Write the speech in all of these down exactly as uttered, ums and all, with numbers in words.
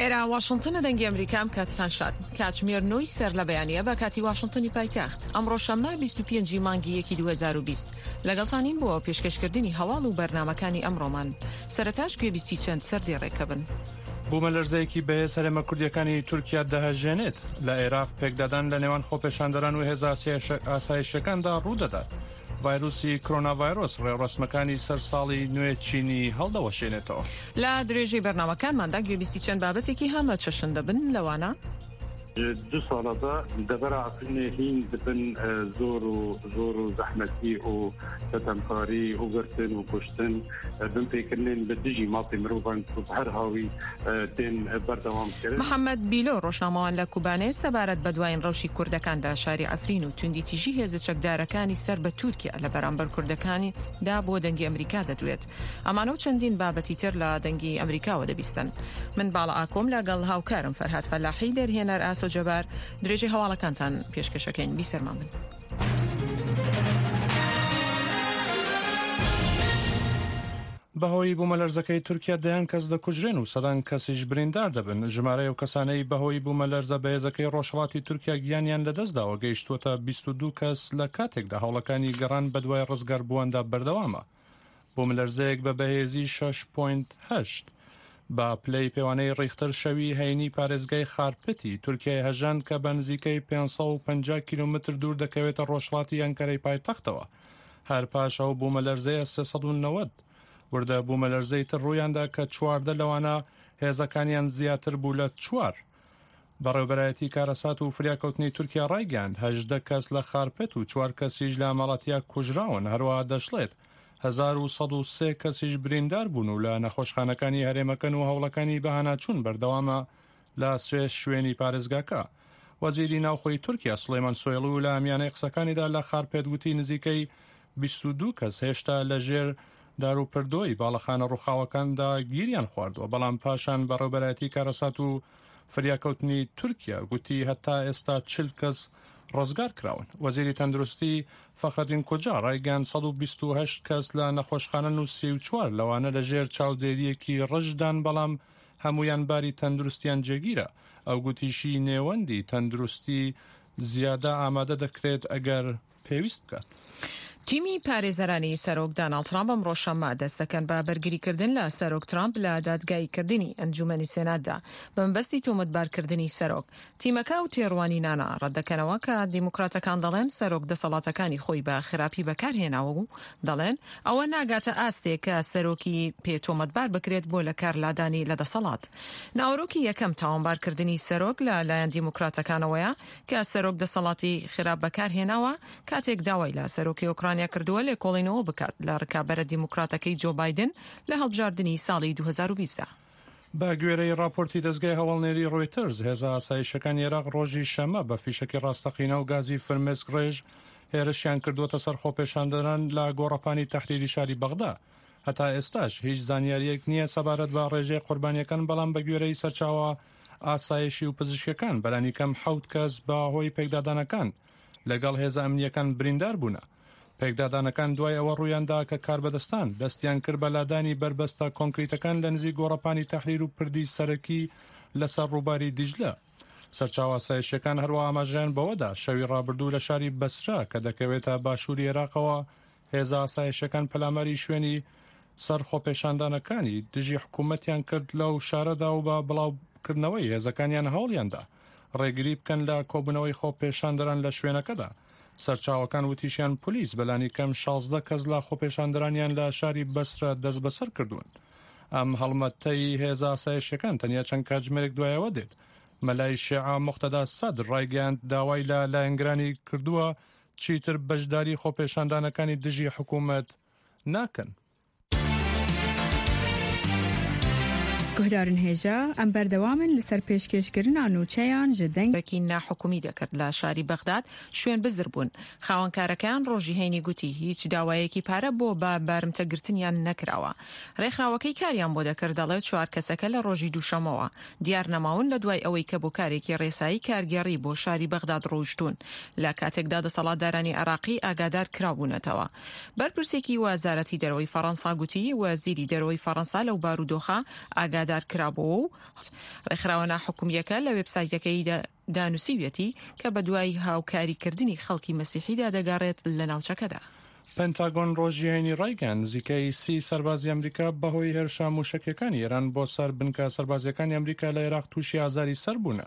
ئێرە واشنگتنە، دەنگی ئەمریکام، کاتتان شاد. کاتژمێر نۆی سەر لە بەیانیە بە کاتی واشنگتنی پایتەخت. ئەمڕۆ شەممە، بیست و پێنجی مانگی یەکی دوو هەزار و بیست. لەگەڵتانین بۆ پێشکەشکردنی هەواڵ و بەرنامەکانی ئەمڕۆمان. سەرەتاش گوێبیستی چەند سەر دێڕێکە بن. بوومەلەرزەیەکی بەهێز هەرێمە کوردیەکانی تورکیا دەهەژێنێت. لە عێراق پێکدادان لە نێوان خۆپێشاندەران و هێزە ئاسایشە-، ئاسایشەکاندا ڕوودەدات. ڤایرۆسی کۆرۆناڤایرۆس ڕێوڕەسمەکانی سەر ساڵی نوێ چینی هەڵدەوەشێنێتەوە. لە درێژەی بەرنامەکانماندا گوێبیستی چەند بابەتێکی هەمە چەشن دەبن، لەوانە: Ji du sala de devera Efrînê hîn dibin, e, zor û, zor û zehmetî û sitemkarî û girtin û kuştin, e, binpêkirinên bi dijî mafê mirovan ku bi her hawî, e, tên berdewam kirin. محەممەد بیلۆ، ڕۆژنامەوان لە کوبانێ، سەبارەت بە دوایین ڕەوشی کوردەکان لە شاری عەفرین و توندی تیژی هێزە چەکدارەکانی سەر بە تورکیا لە بەرامبەر کوردەکانیدا بۆ دەنگی ئەمریکا دەدوێت. ئەمانە و چەندین بابەتی تر لە دەنگی ئەمریکاوە دەبیستن. من باڵە ئاکۆم لەگەڵ هاوکارم فەرهاد فەلاحی، دەرهێنەر ئاسۆ جەبار، درێژەی هەواڵەکانتان پێشکەشەکەین. بیسەرمان بن. بەهۆی بوومەلەرزەکەی تورکیا دەیان کەس دەکوژرێن و سەدان کەسیش بریندار دەبن. ژمارەی ئەو کەسانەی بەهۆی بوومەلەرزە بەهێزەکەی ڕۆژهەڵاتی تورکیا گیانیان لەدەستداوە گەیشتووەتە بیست و دوو کەس، لە کاتێکدا هەوڵەکانی گەڕان بەدوای ڕزگاربوواندا بەردەوامە. بوومەلەرزەیەک بە بەهێزی شەش پۆینت هەشت بە پلەی پێوانەی ڕیختەر شەوی هەینی پارێزگای خارپتی تورکیای هەژاند کە بە نزیکەی پێنج سەد و پەنجا کیلۆمەتر دوور دەکەوێتە ڕۆژهەڵاتی ئەنکەرەی پایتەختەوە. هەر پاش ئەو بوومەلەرزەیە سێ سەد و نەوەد وردە بوومەلەرزەی تر ڕوویاندا کە چواردە لەوانە هێزەکانیان زیاتر بوو لە چوار. بەڕێوەبەرایەتی کارەسات و فریاکەوتنی تورکیا ڕایگەیاند هەژدە کەس لە خارپێت و چوار کەسیش لە ماڵاتیا کوژراون. هەروەها دەشڵێت هەزار و سەد و سێ کەسیش بریندار بوون و لە نەخۆشخانەکانی هەرێمەکەن و هەوڵەکانی بەهاناچوون بەردەوامە لە سێ شوێنی پارێزگاکە. وەزیری ناوخۆی تورکیا سلێمان سۆیڵو لە میانەی قسەکانیدا لە خارپێت گوتی نزیکەی بیست و دوو کەس هێشتا لە ژێر دار و پردۆی باڵەخانە ڕووخاوەکاندا گیریان خواردووە، بەڵام پاشان بەڕێوەبەرایەتی کارەسات و فریاکەوتنی تورکیا گوتی هەتا ئێستا چل کەس ڕزگار کراون. وەزیری تەندروستی فەخرەدین کوجا ڕایگەیاند سەد و بیست و هەشت کەس لە نەخۆشخانەن و سی و چوار لەوانە لە ژێر چاودێریەکی ڕژدان، بەڵام هەمویان باری تەندروستیان جێگیرە. ئەو گوتیشی نێوەندی تەندروستی زیادە ئامادە دەکرێت ئەگەر پێویست بکات. تیمی پارێزەرانی سەرۆک داناڵد ترامپ ئەمڕۆ شەممە دەست دەکەن بە بەرگریکردن لە سەرۆک ترامپ لە دادگاییکردنی ئەنجومەنی سێناتدا بە مەبەستی تۆمەتبارکردنی سەرۆک. تیمەکە و تێڕوانینانە ڕەت دەکەنەوە کە دیموکراتەکان دەڵێن سەرۆک دەسەڵاتەکانی خۆی بە خراپی بەکارهێناوە و دەڵێن ئەوە ناگاتە ئاستێک کە سەرۆکی پێ تۆمەتبار بکرێت بۆ لە کارلادانی لە دەسەڵات. ناوەرۆکی یەکەم تاوانبارکردنی سەرۆک لە لایەن دیموکراتەکانەوەیە کە سەرۆک دەسەڵاتی خراپ بەکارهێناوە کاتێک داوای لە سەرۆکی ئۆکرانیا کردووە لێکۆڵینەوە بکات لە ڕکابەرە دیموکراتەکەی جۆ بایدن لە هەڵبژاردنی ساڵی دوو هەزار و بیست دا. بە گوێرەی راپۆرتی دەستگای هەواڵنێری ڕۆیتەرز، هێزە ئاسایشەکانی عێراق ڕۆژی شەممە بە فیشەکی ڕاستەقینە و گازی فرمێسک ڕێژ هێرشیان کردووەتە سەر خۆپێشاندەران لە گۆڕەپانی تەحریری شاری بەغدا. هەتا ئێستاش هیچ زانیاریەک نییە سەبارەت بە ڕێژەی قوربانیەکان، بەڵام بە گوێرەی سەرچاوە ئاسایشی و پزیشکەکان، بەلانی کەم حەوت کەس بە هۆی پێکدادانەکان لەگەڵ هێزە ئەمنیەکان بریندار بوونە. پێکدادانەکان دوای ئەوە ڕوویاندا کە کاربەدەستان دەستیان کرد بە لادانی بەربەستە کۆنکریتەکان لە نزیک گۆڕەپانی تەحریر و پردی سەرەکی لەسەر ڕووباری دیجلە. سەرچاوە ئاسایشەکان هەروە ئاماژەیان بەوەدا شەوی ڕابردوو لە شاری بەسرا کە دەکەوێتە باشووری عێراقەوە، هێزە ئاسایشەکان پەلاماری شوێنی سەر خۆپێشاندانەکانی دژی حکوومەتیان کرد لەو شارەدا و بە بڵاوکردنەوەی هێزەکانیان هەوڵیاندا ڕێگری بکەن لە کۆبوونەوەی خۆپێشاندەران لە شوێنەکەدا. سەرچاوەکان وتیشیان پلیس بەلانی کەم شازدە کەس لە خۆپێشاندەرانیان لە شاری بەسرە دەست بەسەر کردوون. ئەم هەڵمەتەی هێزە ئاسایشەکان تەنیا چەند کاتژمێرێک دوایەوە دێت. مەلای شێعە مقتەدا سەدر ڕایگەیاند داوای لە لایەنگرانی کردووە چیتر بەشداری خۆپێشاندانەکانی دژی حکوومەت ناکەن. Guhdarên hêja, em berdewam in li ser pêşkêşkirina nûçeyan ji deng. Bekî nahikumî dekir li şarî Bexdad şwên bizdir bûn. Xawenkarekeian rojî heynî gotî, hîç dawayekî pare bo ba barimtegirtiniyan nekirawa. Rêxrawekey kariyan bo dekir, dele çar keseke li rojî duşemewa diyar nemawin, li duay ewey ke bo karekî rêsayî kargerî bo şarî Bexdad rojtûn. Li katekda deselatdaranî Iraqî agadar kirabûnetewa. Berpirsekî Wezaretî Derewey Ferensa gotî, Wezîrî Derewey Ferensa lew barûdoxa ئاگادار کرابوو و ڕێکخراوە ناحکومیەکە لە وێبسایتەکەیدا دانووسیویەتی کە بە دوای هاوکاریکردنی خەڵکی مەسیحیدا دەگەڕێت لە ناوچەکەدا. پنتاگۆن ڕۆژی هەینی ڕایگەیاند، نزیکەی سی سەربازی ئەمریکا بەهۆی هێرشە موشەکیەکانی ئێران بۆ سەر بنکە سەربازیەکانی ئەمریکا لە عێراق تووشی ئازاری سەر بوونە.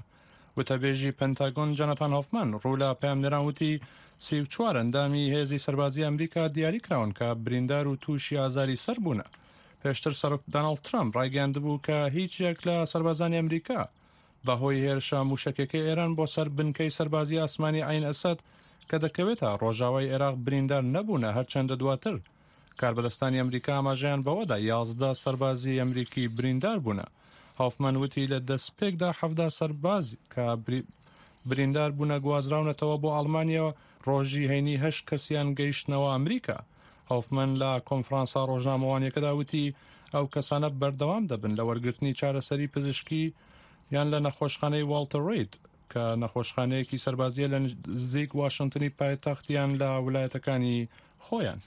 وتەبێژی پنتاگۆن جۆناتان هۆفمان ڕوو لە پەیامنێران وتی، سی و چوار ئەندامی هێزی سەربازی ئەمریکا دیاری کراون کە بریندار و تووشی ئازاری سەر بوونە. پێشتر سەرۆک دۆناڵد ترامپ ڕایگەیاندبوو کە هیچ یەک لە سەربازانی ئەمریکا بەهۆی هێرشە موشەکیەکەی ئێران بۆ سەر بنکەی سەربازی ئاسمانی عەین ئەسەد کە دەکەوێتە ڕۆژاوای عێراق بریندار نەبوونە، هەرچەندە دواتر کاربەدەستانی ئەمریکا ئاماژەیان بەوەدا یازدە سەربازی ئەمریکی بریندار بوونە. هۆفمان وتی لە دەستپێکدا حەڤدە سەرباز کە بری-، بریندار بوونە گوازراونەتەوە بۆ ئەڵمانیا، ڕۆژی هەینی هەشت کەسیان گەیشتنەوە ئەمریکا. هۆفمان لە کۆنفرانسا ڕۆژنامەوانیەکەدا وتی ئەو کەسانە بەردەوام دەبن لە وەرگرتنی چارەسەری پزیشکی یان لە نەخۆشخانەی واڵتەر ڕید کە نەخۆشخانەیەکی سەربازیە لە نزیک واشنگتنی پایتەخت یان لە ویلایەتەکانی خۆیان.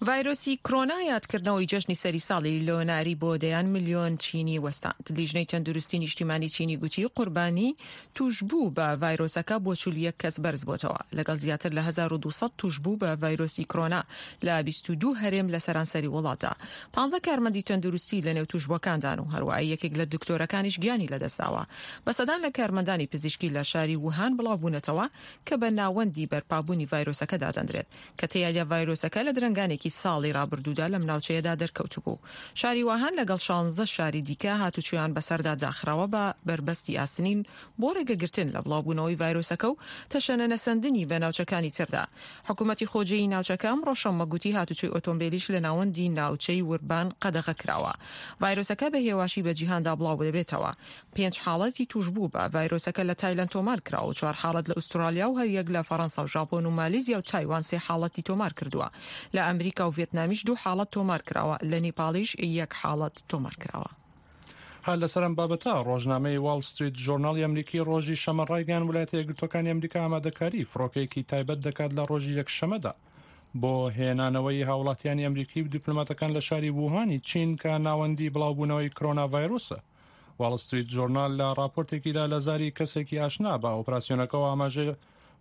ڤایرۆسی کرۆنا یادکردنەوەی جەژنی سەری ساڵی لۆناری بۆ دەیان ملیۆن چینی وەستاند. لیژنەی تەندروستی نیشتیمانی چینی گوتی قوربانی توشبوو بە ڤایرۆسەکە بۆ چل و یەک کەس بەرز بۆتەوە، لەگەڵ زیاتر لە هەزار و دوو سەد توشبوو بە ڤایرۆسی کرۆنا لە بیست و دوو هەرێم لە سەرانسەری وڵاتدا. پانزە کارمەندی تەندروستی لە نێو توشبووەکاندان و هەروەها یەکێک لە دکتۆرەکانیش گیانی لەدەستداوە. بە سەدان لە کارمەندانی پزیشکی لە شاری ووهان بڵاوبوونەتەوە کە بە ناوەندی بەرپابوونی ڤایرۆسەکە دادەندرێت، کە تێیدا ڤایرۆسەکە لە درەنگانێکی ساڵی ڕابردوودا لەم ناوچەیەدا دەرکەوتبوو. شاری ووهان لەگەڵ شانزە شاری دیکە هاتوچۆیان بەسەردا داخراوە بە بربەستی ئاسنین بۆ ڕێگەگرتن لە بڵاوبوونەوەی ڤایرۆسەکە و تەشەنە نەسەندنی بە ناوچەکانی تردا. حکوومەتی خۆجێی ناوچەکە ئەمڕۆ شەممە گوتی هااتوچۆی ئۆتۆمبیلیش لە ناوەندی ناوچەی وربان قەدەغە کراوە. ڤایرۆسەکە بە هێواشی بە جیهاندا بڵاو دەبێتەوە. پێنج حاڵەتی توشبوو بە ڤایرۆسەکە لە تایلەند تۆمار کراوە و چوار حاڵەت لە ئوسترالیا و هەر یەک لە فەڕەنسا و ژاپۆن و مالیزیا و تایوان سێ حاڵەتی تۆمار کردووە. لە ئەمریکا و ڤێتنامیش دوو حاڵەت تۆمار کراوە، لە نیپاڵیش یەک حاڵەت تۆمار کراوە. هەر لەسەر ئەم بابەتە، ڕۆژنامەی واڵ ستریت ژۆرناڵی ئەمریکی ڕۆژی شەمە ڕایگەیاند، ویلایەتە یەکگرتوەکانی ئەمریکا ئامادەکاری فڕۆکەیەکی تایبەت دەکات لە ڕۆژی یەکشەمەدا بۆ هێنانەوەی هاوڵاتیانی ئەمریکی و دیپلۆماتەکان لە شاری ووهانی چین کە ناوەندی بڵاوبوونەوەی کرۆنا ڤایرۆسە. واڵ ستریت ژۆرنال لە راپۆرتێکیدا لە زاری کەسێکی ئاشنا بە ئۆپراسیۆنەکەەوە ئاماژە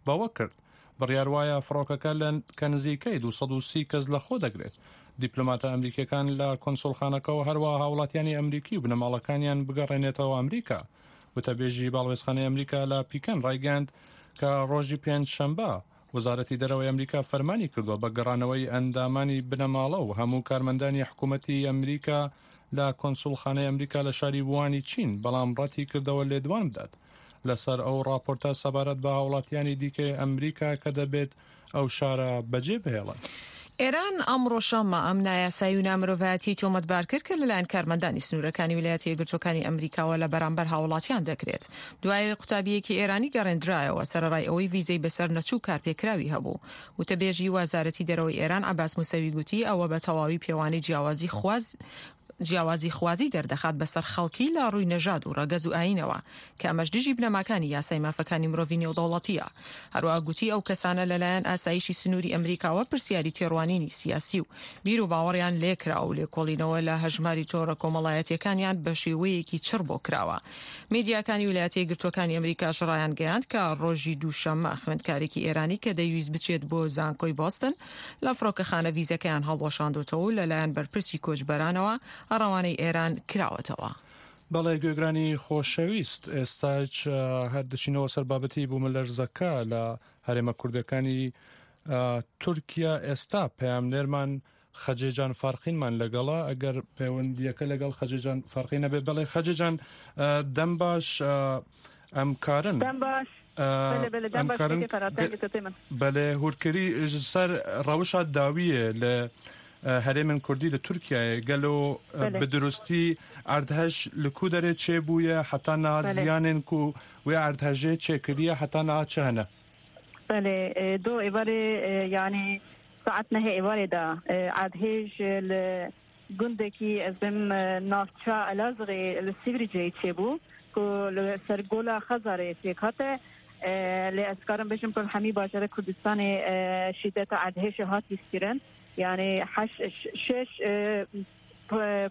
بەوە کرد، بڕیار وایە فڕۆکەکە لە کە نزیکەی دوو سەد و سی کەس لە خۆ دەگرێت. دیپلۆماتە ئەمریکیەکان لە کۆنسولخانەکەەوە هەروە هاوڵاتیانی ئەمریکی و بنەماڵەکانیان بگەڕێنێتەوە ئەمریکا. وتەبێژی باڵوێزخانەی ئەمریکا لە پیکەن ڕایگەیاند کە ڕۆژی پێنج شەمبە وەزارەتی دەرەوەی ئەمریکا فەرمانی کردووە بە گەڕانەوەی ئەندامانی بنەماڵە و هەموو کارمەندانی حکوومەتی ئەمریکا لە کۆنسولخانەی ئەمریکا لە شاری ووانی چین، بەڵام ڕەتی کردەوە لێدوان بدات لەسەر ئەو ڕاپۆرتە سەبارەت بە هاوڵاتیانی دیکەی ئەمریکا کە دەبێت ئەو شارە بەجێ بهێڵن. ئێران ئەمڕۆ شەممە ئەم نایاسایی و نامرۆڤایەتی تۆمەتبار کرد کە لەلایەن کارمەندانی سنوورەکانی ویلایەتی یەکگرتوەکانی ئەمریکاوە لە بەرامبەر هاوڵاتیان دەکرێت. دوای قوتابیەکی ئێرانی گەڕێندرایەوە سەرەڕای ئەوەی ڤیزەی بەسەر نەچوو کارپێکراوی هەبوو. وتەبێژی وەزارەتی دەرەوەی ئێران عەباس موسەوی گوتی ئەوە بە تەواوی پێوانەی جیاوازی خواز جیاوازی خوازی دەردەخات بەسەر خەڵکی لە ڕووی نەژاد و ڕەگەز و ئاینەوە، کە ئەمەش دژی بنەماکانی یاسای مافەکانی مرۆڤی نێودەوڵەتیە. هەروەها گوتی ئەو کەسانە لەلایەن ئاسایشی سنووری ئەمریکاوە پرسیاری تێڕوانینی سیاسی و بیر و باوەڕیان لێکرا و لێکۆڵینەوە لە هەژماری تۆڕە کۆمەڵایەتیەکانیان بە شێوەیەکی چڕ بۆ کراوە. میدیاکانی ویلایەتە یەکگرتوەکانی ئەمریکاش ڕایان گەیاند کە ڕۆژی دووشەممە خوێندکارێکی ئێرانی کە دەیویست بچێت بۆ زانکۆی بۆستن لە فڕۆکەخانە ڤیزەکەیان هەڵوەشاندۆتەوە و لەلایەن بەرپرسی کۆچبەرانەوە ڕەوانەی ئێران کراوەتەوە. بەڵێ گوێگرانی خۆشەویست، ئێستاش، ئە، هەر دەچینەوە سەر بابەتی بوومەلەرزەکە لە هەرێمە کوردەکانی، ئە، تورکیا. ئێستا پەیامنێرمان خەجێجان فارقینمان لەگەڵە، ئەگەر پەیوەندیەکە لەگەڵ خەجێجان فارقین نەبێت. بەڵێ خەجێجان، ئە، دەم باش، ئە، ئەم کارن. دەم باش. ئە، بەلێ، بەلێ، دەم ئەم باش کارن کەکەی فەراتەن گە-، گەتەتێ من. بەلێ، هورکری سەر ڕەوشا داویە لە، ئە، هەرێمن کوردی لە تورکیایە. گەلۆ، ئە، بەلێ. بە دروستی ئەردهەش لە کو دەرێ چێ بووە، حتا نها بەلێ. زیانێن کو وێ ئەردهەژێ چێ کردیە، حتا نها چ هەنە؟ بەلێ، ئێ، دۆ ئێوارێ، ئێ، یعنی ساعت نهێ ئێوارێدا، ئێ، ئەردهێژ لە گوندێکی ئەزم، ئێ، ناوچە ئەلازغی لە سیوری جێی چێبوو، کو لە سەر گۆلا خەزارێ پێک هاتە، ئێ، لێ ئەسکارم بێژم کو هەمی باژارە کوردستانی، ئێ، شیدەتە ئەردهێژە هاتی سکرن، یعنی هەش، ش-، شش، ئێ،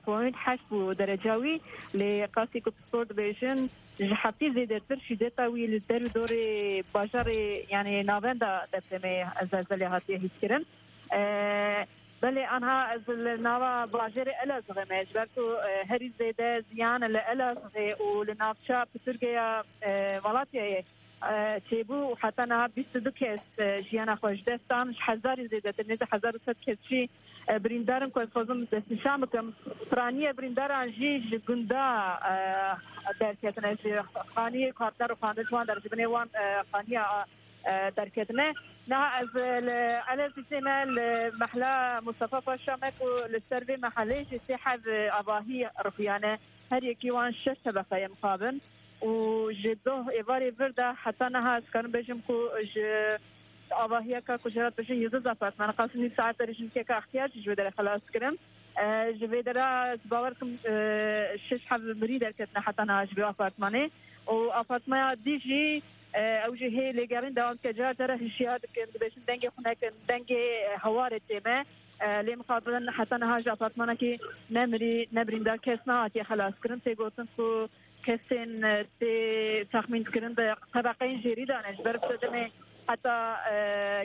point heşt bû dereca wî, lê qasî ku pispor dibêjin, ji heftî zêdetir şîdeta wî li der û dorê bajarê, yanî navenda depremê zelzelê hatiye hîskirin. E, belê anha ez li nava bajarê Elazığê me, ji ber ku, e, herî zêde ziyan li Elazığê û li navça Piturgeya, e, Malatyayê, e, çêbû û heta niha bîst û du kes, e, jiyana xwe ji dest dan, ji hezarî zêdetir, nêzî hezar û sed kes jî, e, birîndar in, ku ez xwezim destnîşan bikim. Piraniye birîndaran jî ji gunda, e, derketine, ji xaniyê ku hatine rûxandin ji wan der, ji binê wan, e, xaniya, e, derketine. Niha ez, e, li Elezîzê me, li mehla Mustafa Paşa me ku li ser vê mehelê jî sê heb, e, avahî rixuyane. Her yekî wan şeş tebeqe ye mixabin û ji doh êvarê vir de heta niha ez karim bêjim ku ji avahiyeka ku jê re dibêjin yildiz apartman, qasî nîv saet derê jî yekeka extiyar jî ji wê derê xelas kirin. E, ji vê dera ez bawer dikim, e, şeş heb mirî derketine heta niha ji vê apartmanê û apartmaya dî jî, e, ew jî hê lêgerîn dewam dike. Car cara hişyar dikin, dibêjin dengê xwe nekin, dengê, e, hewarê tê me. E, lê mixabin heta niha ji apartmanekî ne mirî, ne birîndar kes nehatiye xelaskirin. Tê gotin ku kesên, e, tê texmîn kirin di tebeqeyên jêrî de ne. Ji ber sedemê heta, e,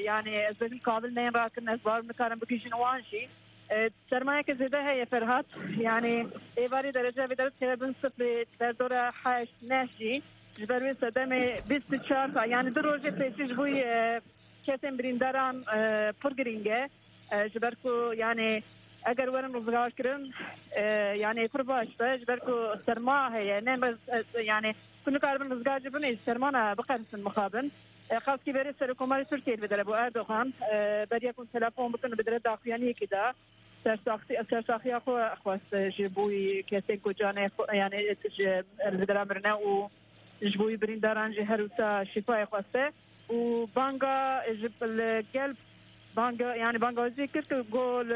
yanî ez bêjim kabil neyên rakirin, ez bawer nikarim bigihîjin wan jî. E, sermayeke zêde heye Ferhat. Yanî êvarî derece vê derê tê bin sifrê, derdora heşt neh jî. Ji ber wê sedemê bîst û çar saet, yanî du rojê pêşî ji bo, e, kesên birîndaran, e, pir girîng e. E, ji ber ku, yanî, eger werin rizgarkirin, e, yanî, pir baş be, ji ber ku serma heye, ne, e, yanî, ku nikaribin rizgar jî binê, ji sermana biqersin mixabin. E, xaskî berê Serokkomarê Tirkiyê li vê dere bû Erdogan, e, beriya ku telefon bikin, bi dere daxuyaniyekê de sersaxî-, sersaxiya xwe xwest ji bo kesên ku canê xwe, yanî, ji, li vê dera mirine û ji bo wî birîndaran jî her wisa şîfayê xweste û banga ji li gel banga, yanî bangawazî kir ku got,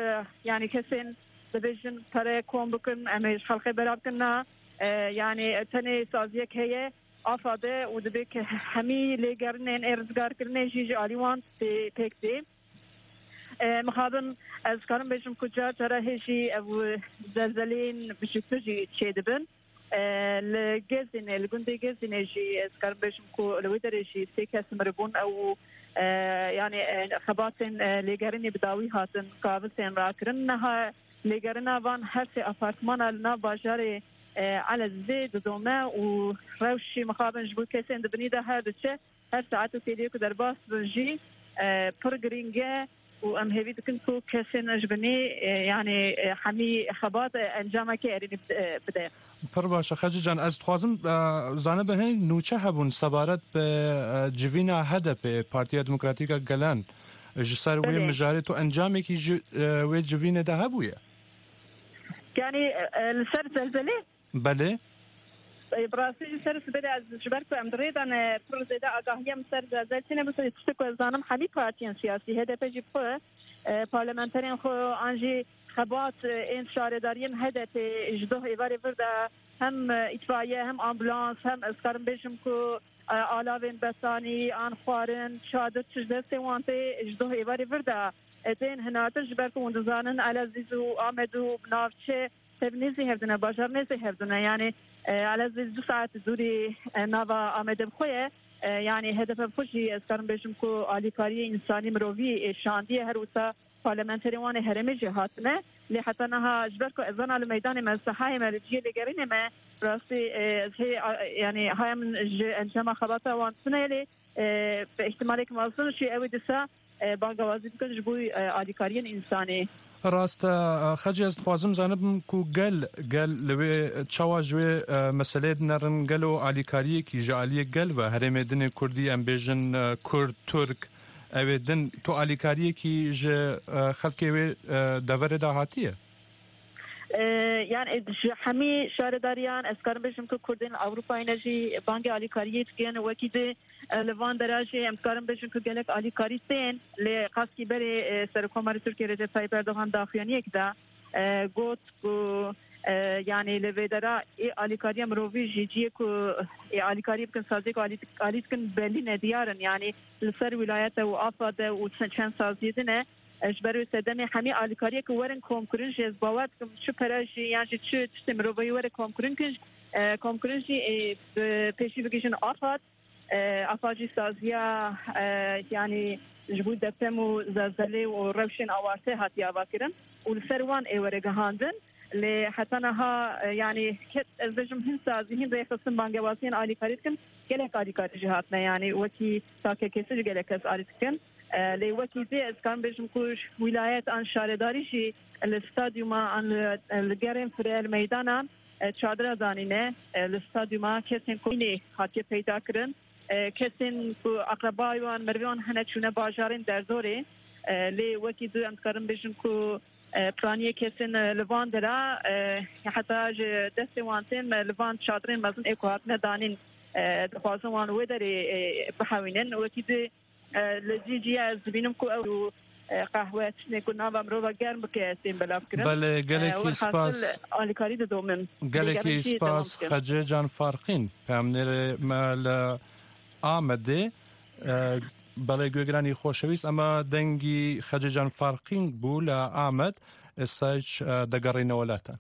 yanî kesên dibêjin pere kom bikin, em ê ji xelkê bera bikin na, e, yanî tenê saziyek heye, AFAD e û dibê ke hemî lêgerînên ê rizgarkirinê jî ji alî wan tê, pêk tê. E, mixabin ez karim bêjim ku car cara hê jî ev zelzeleyên biçûktir jî çêdibin. E, li Gezînê, li gundê Gezînê jî ez karim bêjim ku li wê derê jî sê kes miribûn ew, e, yanî, e, xebatên, e, lêgerînê bi dawî hatin kabil tên rakirin. Niha lêgerîna van her sê apartmana li nav bajarê, e, Elezîzê didome û rewş jî mixabin ji bo kesên di binî de her diçe. Her saet û kêliyê ku derbas bin jî, e, pir girîng e û em hêvî dikin ku kesên ji binî, e, yanî, e, hemî xebat, e, encamekê erênî bide, e, bide. Pir baş e, Xecî can. Ez dixwazim, e, zanibim, hê nûçe hebûn sebaret bi, e, civîna H D P, Partiya Demokratîk a Gelan, ji ser wê Belê. mijarê tu encamekî ji, e, wê civînê de hebûye? Yanî, e, e, li ser zelzelê? Belê. E, bi rastî ji ser sibê de ez ji ber ku em di rê de ne pir zêde agahiya min ser zelzel tîne, bi tiştek ku ez zanim hemî partiyên siyasî, H D P jî bi xwe, e, parlamenterên xwe an jî xebat, e, ên şaredariyên H D P ji doh êvarê vir de hem, e, îtfaiye, hem ambulans, hem ez karim bêjim ku, e, alavên besanî an xwarin, çadir, tişt destê wan tê ji doh êvarê vir de, e, tên hinatin, ji ber ku hûn dizanin Elezîz û Amed û navçe tev nêzî hevdine, bajar nêzî hevdine. Yanî, e, Elezîz du saet dûrî, e, nava Amedê bi xwe ye. E, yanî H D P bi xwe jî ez karim bêjim ku alîkariyê însanî mirovî, e, şandiye, her wisa parlamenterên wan ê herêmê jî hatine. Lê heta niha ji ber ku ez zana li meydanê me, li sehayê me, li cihê lêgerînê me, rastî, e, ez hê, a, yanî haya min ji encama xebata wan tune ye, lê, e, bi îhtimalek mezin jî ew ê dîsa e, bangawazî bikin ji bo, e, alîkariyên însanî. Rast e, Xecî, ez dixwazim zanibim ku gel, gel li wê çawa ji wê, e, meseleyê dinerin, gelo alîkariyekî ji aliyê gel ve herêmê din ê Kurdî, em bêjin, e, Kurd, Tirk, ew ê din, tu alîkariyekî ji, e, xelkê wê, e, deverê de hatiye? E, yanî ji hemî şaredariyan ez karim bêjim ku Kurdên li Ewropayê ne jî bangê alîkariyê dikin, wekî di E, li van dera jî em dikarin bêjin ku gelek alîkarî tên, lê qastkî berê, e, Serokkomarê Tirkiyê Recep Tayyip Erdogan daxuyaniyek da, e, got ku, e, yanî li vê dera ê alîkariya mirovî jî cihê ku ê alîkarî bikin, saziyê ku alî, alî dikin belî ne, diyar in. Yanî li ser wîlayete û AFAD e û çend saziyê din e. E, ji ber wê sedemê hemî alîkariyê ku werin komkirin jî ez bawer dikim çi pere jî yan jî çi tiştê mirovahî were komkirin kin, e, komkirin jî, e, bi pêşî bigihîjin AFAD. E, AFAD jî saziya, e, yanî ji bo deprem û zelzelê û rewşên awarte hatiye avakirin û li ser wan ê were gihandin. Lê heta niha, e, yanî ke-, ez bêjim hin sazî, hin rêxistin bangewaziyên alîkarî dikin, gelek alîkarî jî hatine, yanî wekî takekêsî jî gelek kes alî dikin. E, lê wekî dê ez karim bêjim ku wîlayet an şaredarî jî li stadyuma an li, li gerên fire li meydanan, e, çadira danîne, e, li stadyuma kesên ku nê hatiye peyda kirin, e, kesên ku eqrebayê wan, merivê wan hene çûne bajarên derdorê, e, lê wekî dê em dikarin bêjin ku, e, piraniyê kesên, e, li van dera, e, heta ji destê wan tên, e, li van çadirên mezin ê ku hatine danîn, e, dixwazin wan wê derê, e, bihewînin. Wekî dê, e, li cî cî ez dibînim ku ew, e, qehwe tiştê ku nava mirova germ bike, tên belav kirin. Belê, E, gelekî welhasil spas. Alîkarî didomin. Gelekî Lêgerîn jî dewam spas, dikin. Xecê Can Farqîn, peyamnêrê me li Amedê. E, belê, guhêgiranî xoşewîst, ema dengî Xecê Can Farqîn bû li Amed. Êsayî, e, degerîne welatan.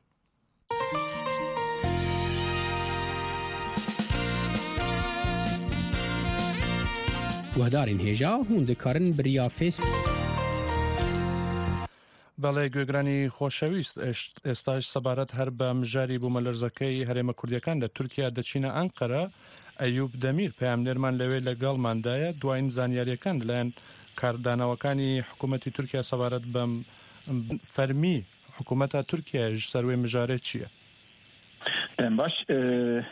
Guhdarên hêja, hûn dikarin bi riya Facebook. Belê, guhêgiranî xoşewîst, êst-، êsayî sebaret her bi mijarî bûmelêrzekey herêma Kurdiyekê li Tirkiye diçîne Enqere. Eyûp Demîr, peyamnêrman li wê legelman de ye. Duayîn zanyariyekên li layan kardanokanî hikûmetî Tirkiye sebaret bi fermî hikûmeta Tirkiye ji ser wê mijarê çi ye? Dem baş, e,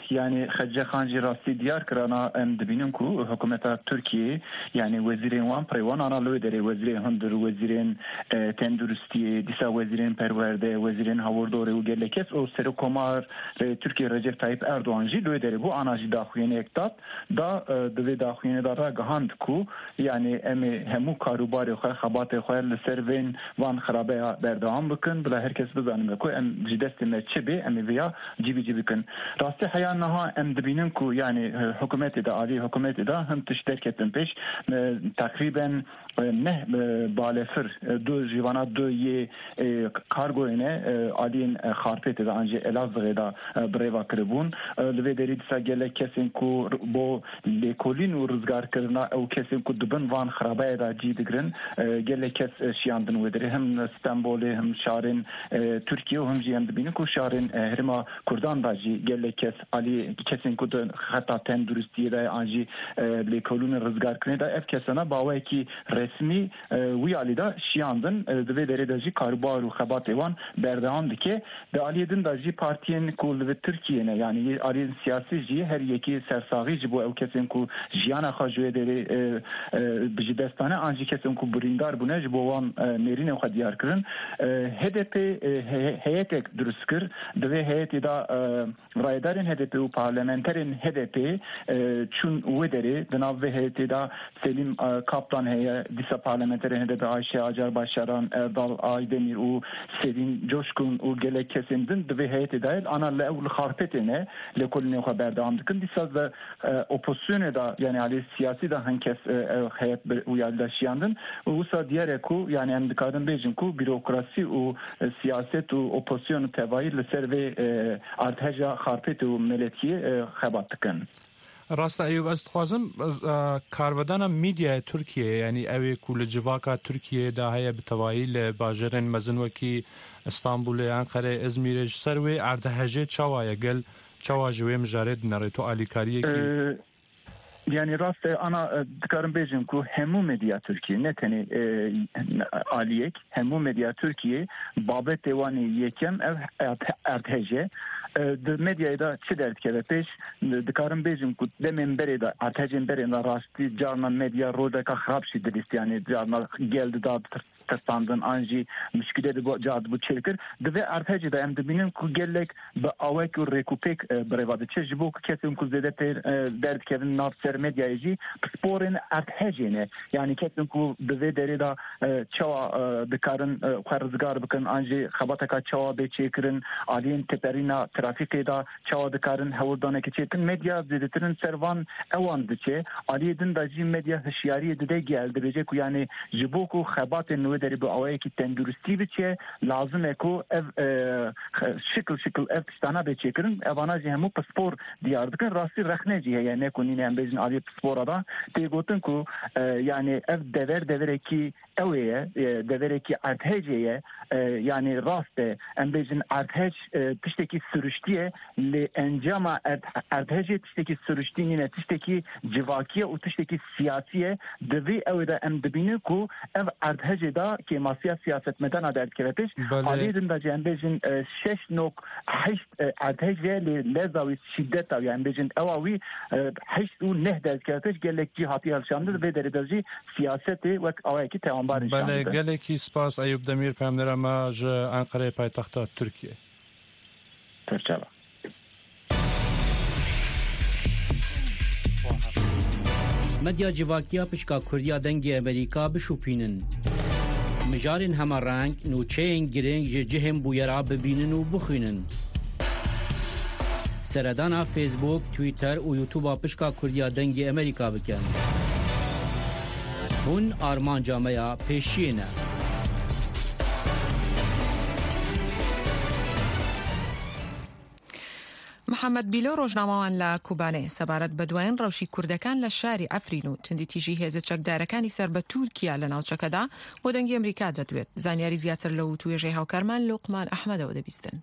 yanî Xecê Xan jî rastî diyar kir, ana em dibînin ku hikûmeta Tirkiyê, yanî wezîrên wan, pirê wan ana li wê derê, wezîrên hundir, wezîrên, e, tenduristiyê, dîsa wezîrên perwerde, wezîrên hawirdorê û gelek kes û Serokkomarê Tirkiyê Recep Tayyip Erdogan jî li wê derê bû, ana jî daxuyaniyek dat. Da, e, di vê daxuyanê de ragihand ku, yanî, em ê hemû karûbarê xwe, xebatê xwe li ser vên van xirabeya berdewam bikin, bila her kes bizanime ku em ji destê me çi bê, em ê vêya cîbicî bikin. Rastî heya niha em dibînin ku, yanî, e, hikûmetê de, alî hikûmetê de hin tişt derketin pêş, e, teqrîben, e, neh, e, balefir, e, du, ji vana du yê, e, kargoyê ne, e, aliyên, e, Xarpêtê de an jî Elazığê de, e, bi rê ve kiribûn. E, li vê derî dîsa gelek kesên ku r-, bo lêkolîn û rizgarkirina ew kesên ku di bin van xirabeyê de cî digirin, e, gelek kes, e, şiyandin wê derê. Him Stenbolê, him şarên, e, Tirkiye û him jî em dibînin ku şarên, e, herêma Kurdan de jî gelek kes alî kesên ku di xeta tenduristiyê de ye an jî, e, lêkolînê rizgarkirinê de, ev kesana bi awayekî resmî, e, wî alî de şiyandin. E, di vê derê de jî karûbar û xebatê wan berdewam dike. Di aliyê din de jî partiyên ku li vir Tirkiyê ne, yanî aliyên siyasî jî her yekî sersaxî ji bo ew kesên ku jiyana xwe ji wê derê, e, e, bi ji dest dane, an jî kesên ku birîndar bûne ji bo wan, e, nêrînên xwe diyar kirin. E, H D P, e, he-, heyetek dirust kir. Di vê heyetê de, e, Rayedarên H D P û parlamenterên H D P, e, çûn wê derê. Di nav vê heyetê de Selîm, e, Kaplan heye, dîsa parlamenterên H D P Ayşe Acar Başaran, Erdal Aydemir û Selîm Coşkun û gelek kesên din di vê heyetê de ye. Ana li ew li Xarpêtê ne, lêkolînê xwe berdewam dikin. Dîsa de, e, opozisyonê de, yanî alî siyasî de hin kes, e, ew heyet bi wî alî de şiyandin. Û wisa diyar e ku, yanî em dikarin bêjin ku bürokrasî û, e, siyaset û opozisyon û tevayî li ser vê, e, erdheja Xarpêt û Meletiyê, e, xebat dikin. Rast e Eyûb, ez dixwazim, ez, e, karvedana medyaya Tirkiyeyê, yanî ew ê ku li civaka Tirkiyeyê de heye, bi tevayî li bajêrên mezin wekî Stenbolê, Enqerê, Izmîrê, ji ser wê erdhejê çawa ye? Gel çawa ji wê mijarê dinere? Tu alîkariyekî Ee, Yanî rast e, ana, e, dikarim bêjim ku hemû medya Tirkiyê, ne tenê, e, aliyek, hemû medya Tirkiyê babetê wan ê yekem ev erd-, erdhej e. E, di medyayê de çi derdikeve pêş? Dikarim bêjim ku demên berê de, erdhejên berê de rastî carna medya roleka xirab jî dilîst, yanî carna gel dida tirsandin an jî muşkîle dibû, car dibû çêkir. Di vê erdhejê de em dibînin ku gelek bi awek û rêkûpêk, e, bi rê ve diçe. Ji bo ku kesên ku zêde tê, e, derdikevin nav ser medyayê jî pisporên erdhejê ne. Yanî kesên ku di vê derê de, e, çawa, e, dikarin, e, xwe rizgar bikin, an jî xebateka çawa bê çêkirin, aliyên teperîna trafîkê de çawa dikarin hewldanekê çêkin. Medya zêdetir li ser van ewan diçe. Aliyê din de jî medya hişyariyê dide gel, dibêje ku yanî ji bo ku xebatên nû derê bi awayekî tenduristî biçe, lazim e ku ev, e, şikil şikil ev tiştana bê çêkirin. Evana jî hemû pispor diyar dikin. Rastî rexne jî heye, ne ku nîne em bêjin aliyê pispora da. Tê gotin ku, e, yani ev dever deverekî ew ê ye, e, deverekî erdhejê ye, e, yani rast e, em bêjin erdhej, e, tiştekî siruştî ye, lê encama erd-, erdhejê tiştekî siruştî nîne, tiştekî civakî ye û tiştekî siyasî ye. Di vî ew ê de em dibînin ku ev erdhejê de kêmasiya siyasetmedana derdikeve pêş. Belê. Aliyê din de jî em bêjin, e, şeş nok heşt, e, erdhej e, lê leza wî şîdeta wî, em bêjin ewa wî, e, heşt û neh derdikeve pêş, gelek cî hatiye hilşandin, vê derê de jî siyasetê wek awayekî tawanbar nîşan Belê, dide. Gelekî spas Eyûp Demîr, peyamnêra me ji Enqereyê paytexta Tirkiyê. Serçava. Medya civakiya pişka Kurdiya Dengê Amerîka bişopînin. Mijarên hema reng, nûçeyên girîng ji cihên bûyera bibînin û bixwînin. Seredana Facebook, Twitter û YouTube-a pişka Kurdiya Dengê Amerîka bikin. Hûn armanca me ya pêşiyê ne. محەممەد بیلۆ، ڕۆژنامەوان لە کوبانێ، سەبارەت بە دوایین ڕەوشی کوردەکان لە شاری عەفرین و توندی تیژی هێزە چەکدارەکانی سەر بە تورکیا لە ناوچەکەدا، بۆ دەنگی ئەمریکا دەدوێت. زانیاری زیاتر لە وتوێژەی هاوکارمان لوقمان ئەحمەدەوە دەبیستن.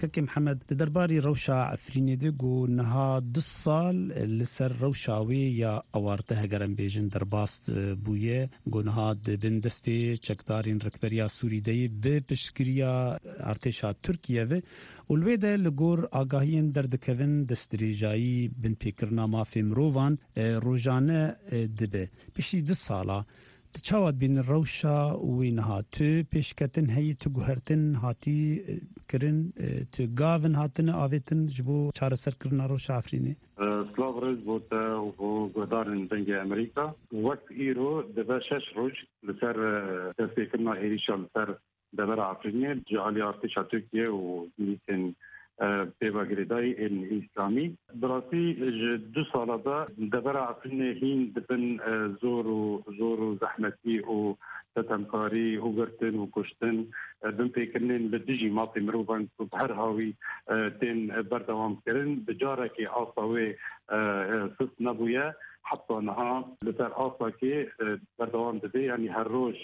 Kekê Mihemed, di derbarî rewşa Efrînê de got, niha du sal li ser rewşa wê ya awarte, heger em bêjin, derbas, e, bûye. Got, niha di bin destê çekdarên Rêkberiya Sûrî de ye, bi piştgiriya artêşa Tirkiye ve û li wê de li gor agahiyên derdikevin destdirêjayî binpêkirina mafê mirovan, e, rojane, e, dibe. Piştî du sala, tu çawa dibînî rewşa wê niha? Tu pêşketin heye, tu guhertin hatî, e, kirin, e, tu gavin hatine avêtin ji bo çareserkirina rewşa Efrînê? E, silav rêz bo te û bo guhdarên Dengê Amerîka. Wek îro dibe şeş roj li ser, e, destpêkirina êrîşa li ser devera Efrînê ji alî artêşa Tirkiye û milîsên, e, pêva girêdayî ên Îslamî. Bi rastî ji du sala de devera Efrînê hîn di bin, e, zor û, zor û zehmetî û setemkarî û girtin û kuştin, e, binpêkirinên li dijî mafê mirovan ku bi her hawî, e, tên berdewam kirin, bi carekê asta wê, e, e, sist nebûye. Heta niha li ser astakê, e, berdewam dibe, yanî her roj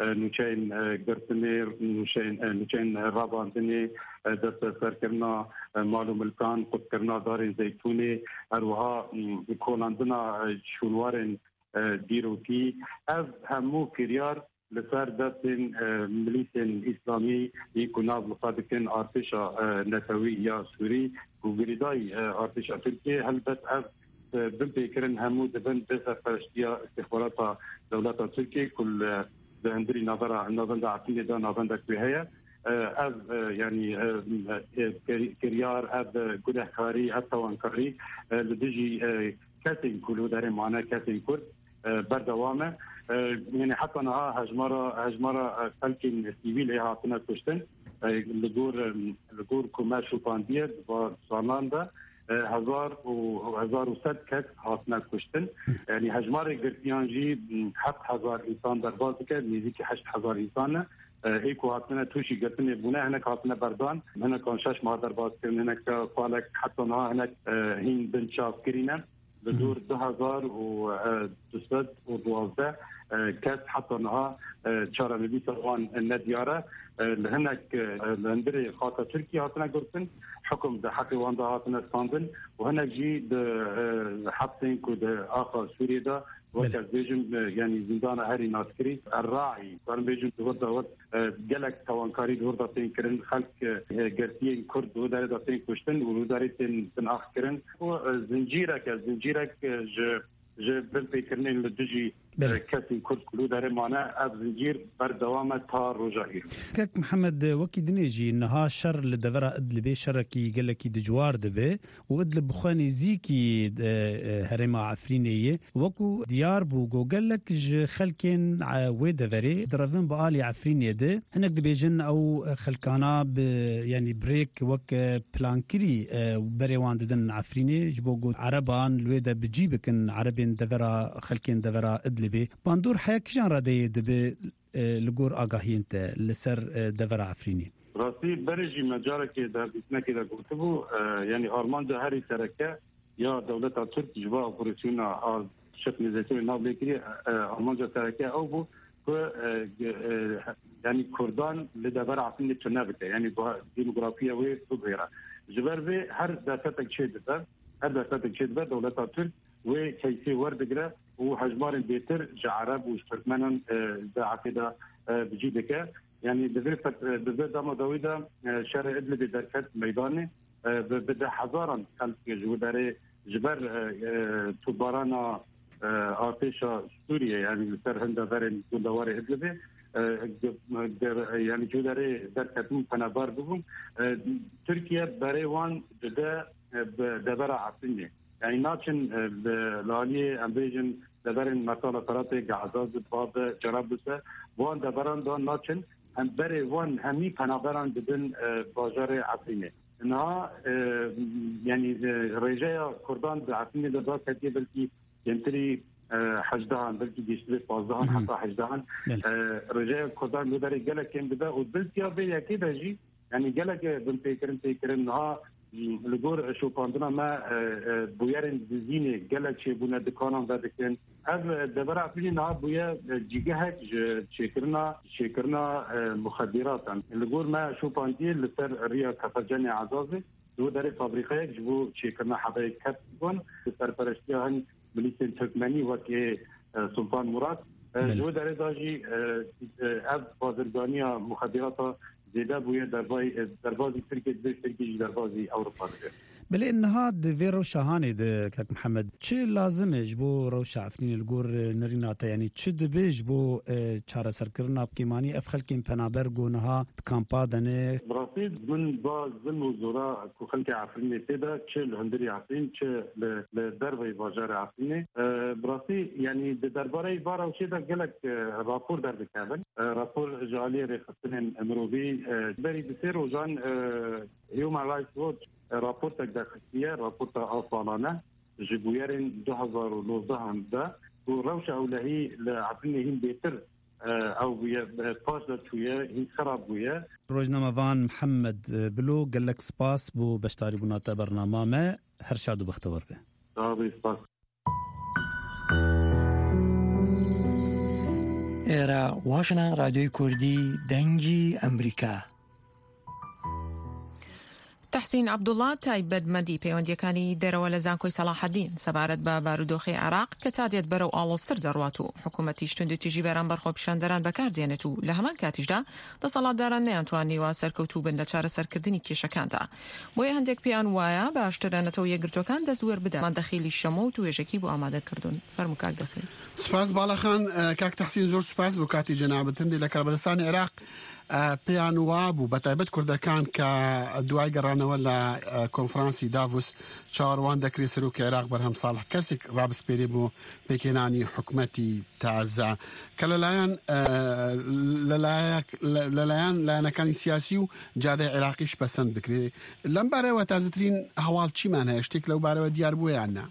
e, nûçeyên, e, girtinê, nûçeyên, e, nûçeyên rabandinê, e, desteserkirina, e, mal û milkan, qutkirina darên zeytûnê, her wiha, m, kolandina, e, şûnwarên, e, dîrokî. Ev hemû kiryar li ser destên, e, milîsên îslamî yên ku nav li xwe dikin artêşa, e, netewî ya Sûrî, ku girêdayî, e, artêşa Tirkiyê. Helbet ev, e, binpêkirin hemû dibin bi serpereştiya îstîxbarata dewleta Tirkiyê ku li, di hundirî navera, navenda Efrînê de navendek wê heye. E, ev, e, yanî, e, e, kir-, kiryar, ev, e, gunehkarî, ev tawankarî, e, li dijî, e, kesên ku li wê derê mane, kesên Kurd, e, berdewam e. E, yanî heta niha hejmara, hejmara, e, xelkên sivîl ê hatine kuştin. E, li gor, e, li gor ku me şopandiye di va salan de, e, hezar û, hezar û sed kes hatine kuştin. Yanî hejmarê girtiyan jî, m, heft hezar însan derbas dike, nêzîkî heşt hezar însan e. E, ê ku hatine tûşî girtinê bûne, hinek hatine berdan, hinekan şeş mah derbas kirin, hinek kalek heta niha hinek, e, hîn binçavkirî ne. Li dor du hezar û, e, du sed û duwazdeh, e, kes heta niha, e, çarenivîsa wan nediyar e. E, li hinek, e, li hundirê xaka Tirkiyê hatine girtin, hukum di heqê wan de hatine standin û hinek jî di, e, hepsên ku di axa Sûriyê de, wek Belê. ez bêjim, e, yanî zîndana herî naskirî, Erraî, karin bêjim, di wir de wek, e, gelek tawankarî di wir de tên kirin, xelk, e, girtiyên Kurd di wir derê de tên kuştin û li wir derê tên binax kirin. Û, e, zincîrek e, zincîrek, e, ji, ji binpêkirinên li dijî, Belê. e, kesên Kurd ku li wir derê mane, ev zincîr berdewam e ta roja îro. Kek Mihemed, wekî dinê jî niha şer li devera Idlibê şerekî gelekî dijwar dibe û Idlib bi xwe nêzîkî, e, e, herêma Efrînê ye. Wekû diyar bû ku gelek ji xelkên, e, wê deverê direvin bi alî Efrînê de. Hinek dibêjin ew xelkana bi, yanî bi rêk wek, e, plankirî, e, berê wan didin Efrînê, ji bo ku Ereban li wê de bi cî bikin, Erebên devera, xelkên devera Idlibê. Bandor heya kîjan radeyê dibe e, li gor agahiyên te li ser, e, devera Efrînê? Rastî berê jî me carekê di hevdîtinekê de gotibû, e, yanî armanca herî sereke ya dewleta Tirk ji bo operasyona a şef nêzîkiyê navlêkirî, e, armanca sereke ew bû ku, e, ge-, e, yanî Kurdan li devera Efrînê tune bike, yanî bu demografiya wê bibêre. Ji ber vê her derfetek çêdibe, her derfetek çêdibe dewleta Tirk wê keysê werdigire û hejmarên bêtir ji Ereb û ji Tirkmenan, e, di Efê de, e, bi cî dike. Yanî di vê fet-, di vê dema dawî de, e, şerê Idlibê derket meydanê, e, bi, bi deh hezaran xelk ji wî derê ji ber, e, e, topbarana, e, artêşa Sûriyê, yanî li ser hin deverên gundewarê Idlibê, e, ge-, ge-, yanî ji wî derê derketin penaber bibûn. E, Tirkiye berê wan dide, e, bi devera Efrînê. Yanî naçin, e, li, li aliyê em bêjin deverên Mertala Feratê, Gaza, Zibabê, Cerablusa, bi wan deveran de naçin, em berê wan hemî penaberan didin, e, bajarê Efrînê. Niha, e, yanî, e, rêjeya Kurdan di Efrînê de daketiye belkî kêmtirî, e, hejdehan, belkî gihiştibê pazdehan, Mhm. heta hejdehan. Belê. E, rêjeya Kurdan li derê gelek kêm dibe û biltiya vê yekê de jî, yanî gelek binpêkirin tê kirin. Niha li gor şopandina me, e, e, bûyerên dizînê gelek çêbûne, dikanan vedikin. Ev, e, devera Efrînê niha bûye, e, cîgehek ji çêkirina, çêkirina, e, muxedîratan. Li gor me şopandiyê li ser riya Kefercenê Ezazê, ji bo derê fabrîkayek ji bo çêkirina hebeyê kep bûn, bi serpereştiya hin milîsên Tirkmenî wekî, e, Sultan Murat. E, Belê. Ji bo derê de jî, e, e, ev bazirganiya muxedîrata zêde bûye, dervayî, e, derbazî Tirkiyê dibe, Tirkiyê jî derbazî Ewropa dibe. Belê niha di vê rewşa hanê de, kak Mihemed, çi lazim e ji bo rewşa Efrînê li gor, e, nerîna te? Yanî çi dibe ji bo, e, çareserkirina bi kêmanî ev xelkên penaber ku niha di kampa de ne? Bi rastî min ba zilm û zora ku xelkê Efrînê tê de, çi li hundirî Efrîn, çi li, li derveyî bajarê Efrînê. E, bi rastî, yanî di derbareyî va rewşê de gelek, e, rapor derdikevin. E, rapor ji aliyê rêxistinên mirovî, e, berî du sê rojan, e, Human Rights Watch, e, raportek derxistiye, raporta a salane ji bûyerên du hezar û nozdehan de ku rewşa ewlehî li Efrînê hîn bêtir, e, ew bûye, e, paş de çûye, hîn xerab bûye. Rojnamevan Mihemed, e, Bilo, gelek spas bo beşdarîbûna te bernama me. Her şad û bextewar be. Sağ ol, spas. ئێرە واشنە ڕادیۆی کوردی دەنگی ئەمریکا. تەحسین عەبدوڵڵا، تایبەتمەندی پەیوەندیەکانی دەرەوە لە زانکۆی سەلاحەدین سەبارەت بە بارودۆخی عێراق کە تا دێت بەرەو ئاڵۆزتر دەڕوات و حکوومەتیش توندوتیژی بەرامبەر خۆپیشاندەران بەکاردێنێت و لە هەمان کاتیشدا دەسەڵاتداران نەیانتوانیوە سەرکەوتوو بن لە چارەسەرکردنی کێشەکاندا. بۆیە هەندێک پێیان وایە باشترە نەتەوە یەکگرتوەکان دەست وەربدەن. ماندە خیلی شەمۆ و توێژەکی بۆ ئامادە کردوون. فەرموو کاک دەخیل. سوپاس باڵەخان، ئە، کاک تەحسین، زۆر سوپاس بۆ کاتی جەنابت. هەندێک لە کەربەدەستانی عێراق، ئە، پێیان وا بوو، بە تایبەت کوردەکان کە دوای گەڕانەوە لە، ئە، کۆنفرانسی داڤوس چاوەڕوان دەکرێت سەرۆکی عێراق بەرهەم ساڵح کەسێک ڕابسپێرێ بۆ پێکهێنانی حکومەتی تازە کە لەلایەن، ئە، لەلایەک-، لە-، لەلایەن لایەنەکانی سیاسی و جادەی عێراقیش پەسەند بکرێت. لەم بارەوە تازەترین هەواڵ چیمان هەیە؟ شتێک لەو بارەوە دیار بووە یان نا؟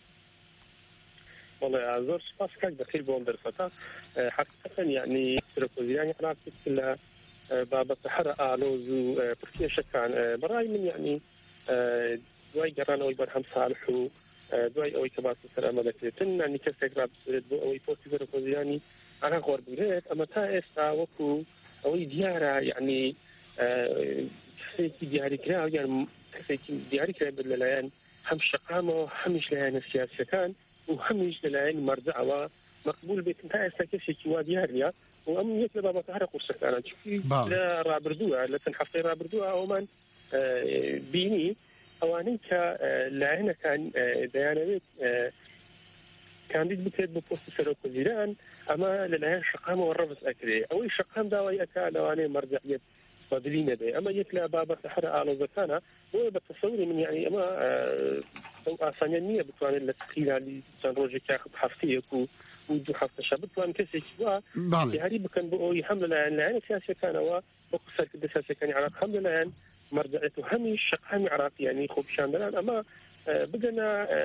وەڵێ، زۆر سوپاس کاک دەخیل بۆ ئەم دەرفەتە. ئە، حەقیقەتەن، یعنی، سەرۆکوەزیرانی عێراق یەک لە، ئە، بابەتە هەرە ئالۆز و، ئە، پرکێشەکان، ئە، بەڕای من، یعنی، ئە، دوای گەڕانەوەی بەرهەم ساڵح و، ئە، دوای ئەوەی کە باسی سەر ئەمە دەکرێتن، یعنی، کەسێک ڕابسێت بۆ ئەوەی پۆستی سەرۆکوەزیرانی عێراق وەربگرێت، ئەمە تا ئێستا وەکو ئەوەی دیارە، یعنی، ئە، کەسێکی دیاریکراو یان کەسێکی دیاریکراو بێت لەلایەن هەم شەقامەوە، هەمیش لایەنە سیاسیەکان و هەمیش لەلایەن مەرجەعەوە مەقبول بێتن. تا ئێستا کەسێکی وا دیار نییە و ئەم یەک لە بابەتە هەرە قورسەکانە. چونکی باڵێ. لە ڕابردووە، لە چەند هەفتەی ڕابردووە ئەومان، ئە، بینی ئەوانەی کە، ئە، لایەنەکان، ئە، دەیانەوێت، ئە، کاندید بکرێت بۆ پۆستی سەرۆک وەزیران، ئەمە لەلایەن شەقامەوە ڕەفز ئەکرێ. ئەوەی شەقام داوای ئەکا لەوانەیە مەرجەعیەت بەدلی نەبێ. ئەمە یەک لە بابەتە هەرە ئاڵۆزەکانە. بۆیە بە تەسەوری من، یعنی، ئەمە، ئە، ئەو ئاسانیان نییە بتوانێت لە خیلالی چەند ڕۆژێک یاخود هەفتەیەک و، و دوو هەفتەشە بتوان کەسێکی وا باڵێ. دیاری بکەن بۆ ئەوەی هەم لەلایەن لایەنە سیاسیەکانەوە وەکو سەرکردە سیاسیەکانی عێراق، هەم لەلایەن مەرجەعیەت و هەمیش شەقامی عێراق، یعنی، خۆپیشاندەران، ئەمە، ئە، بگەنە، ئە،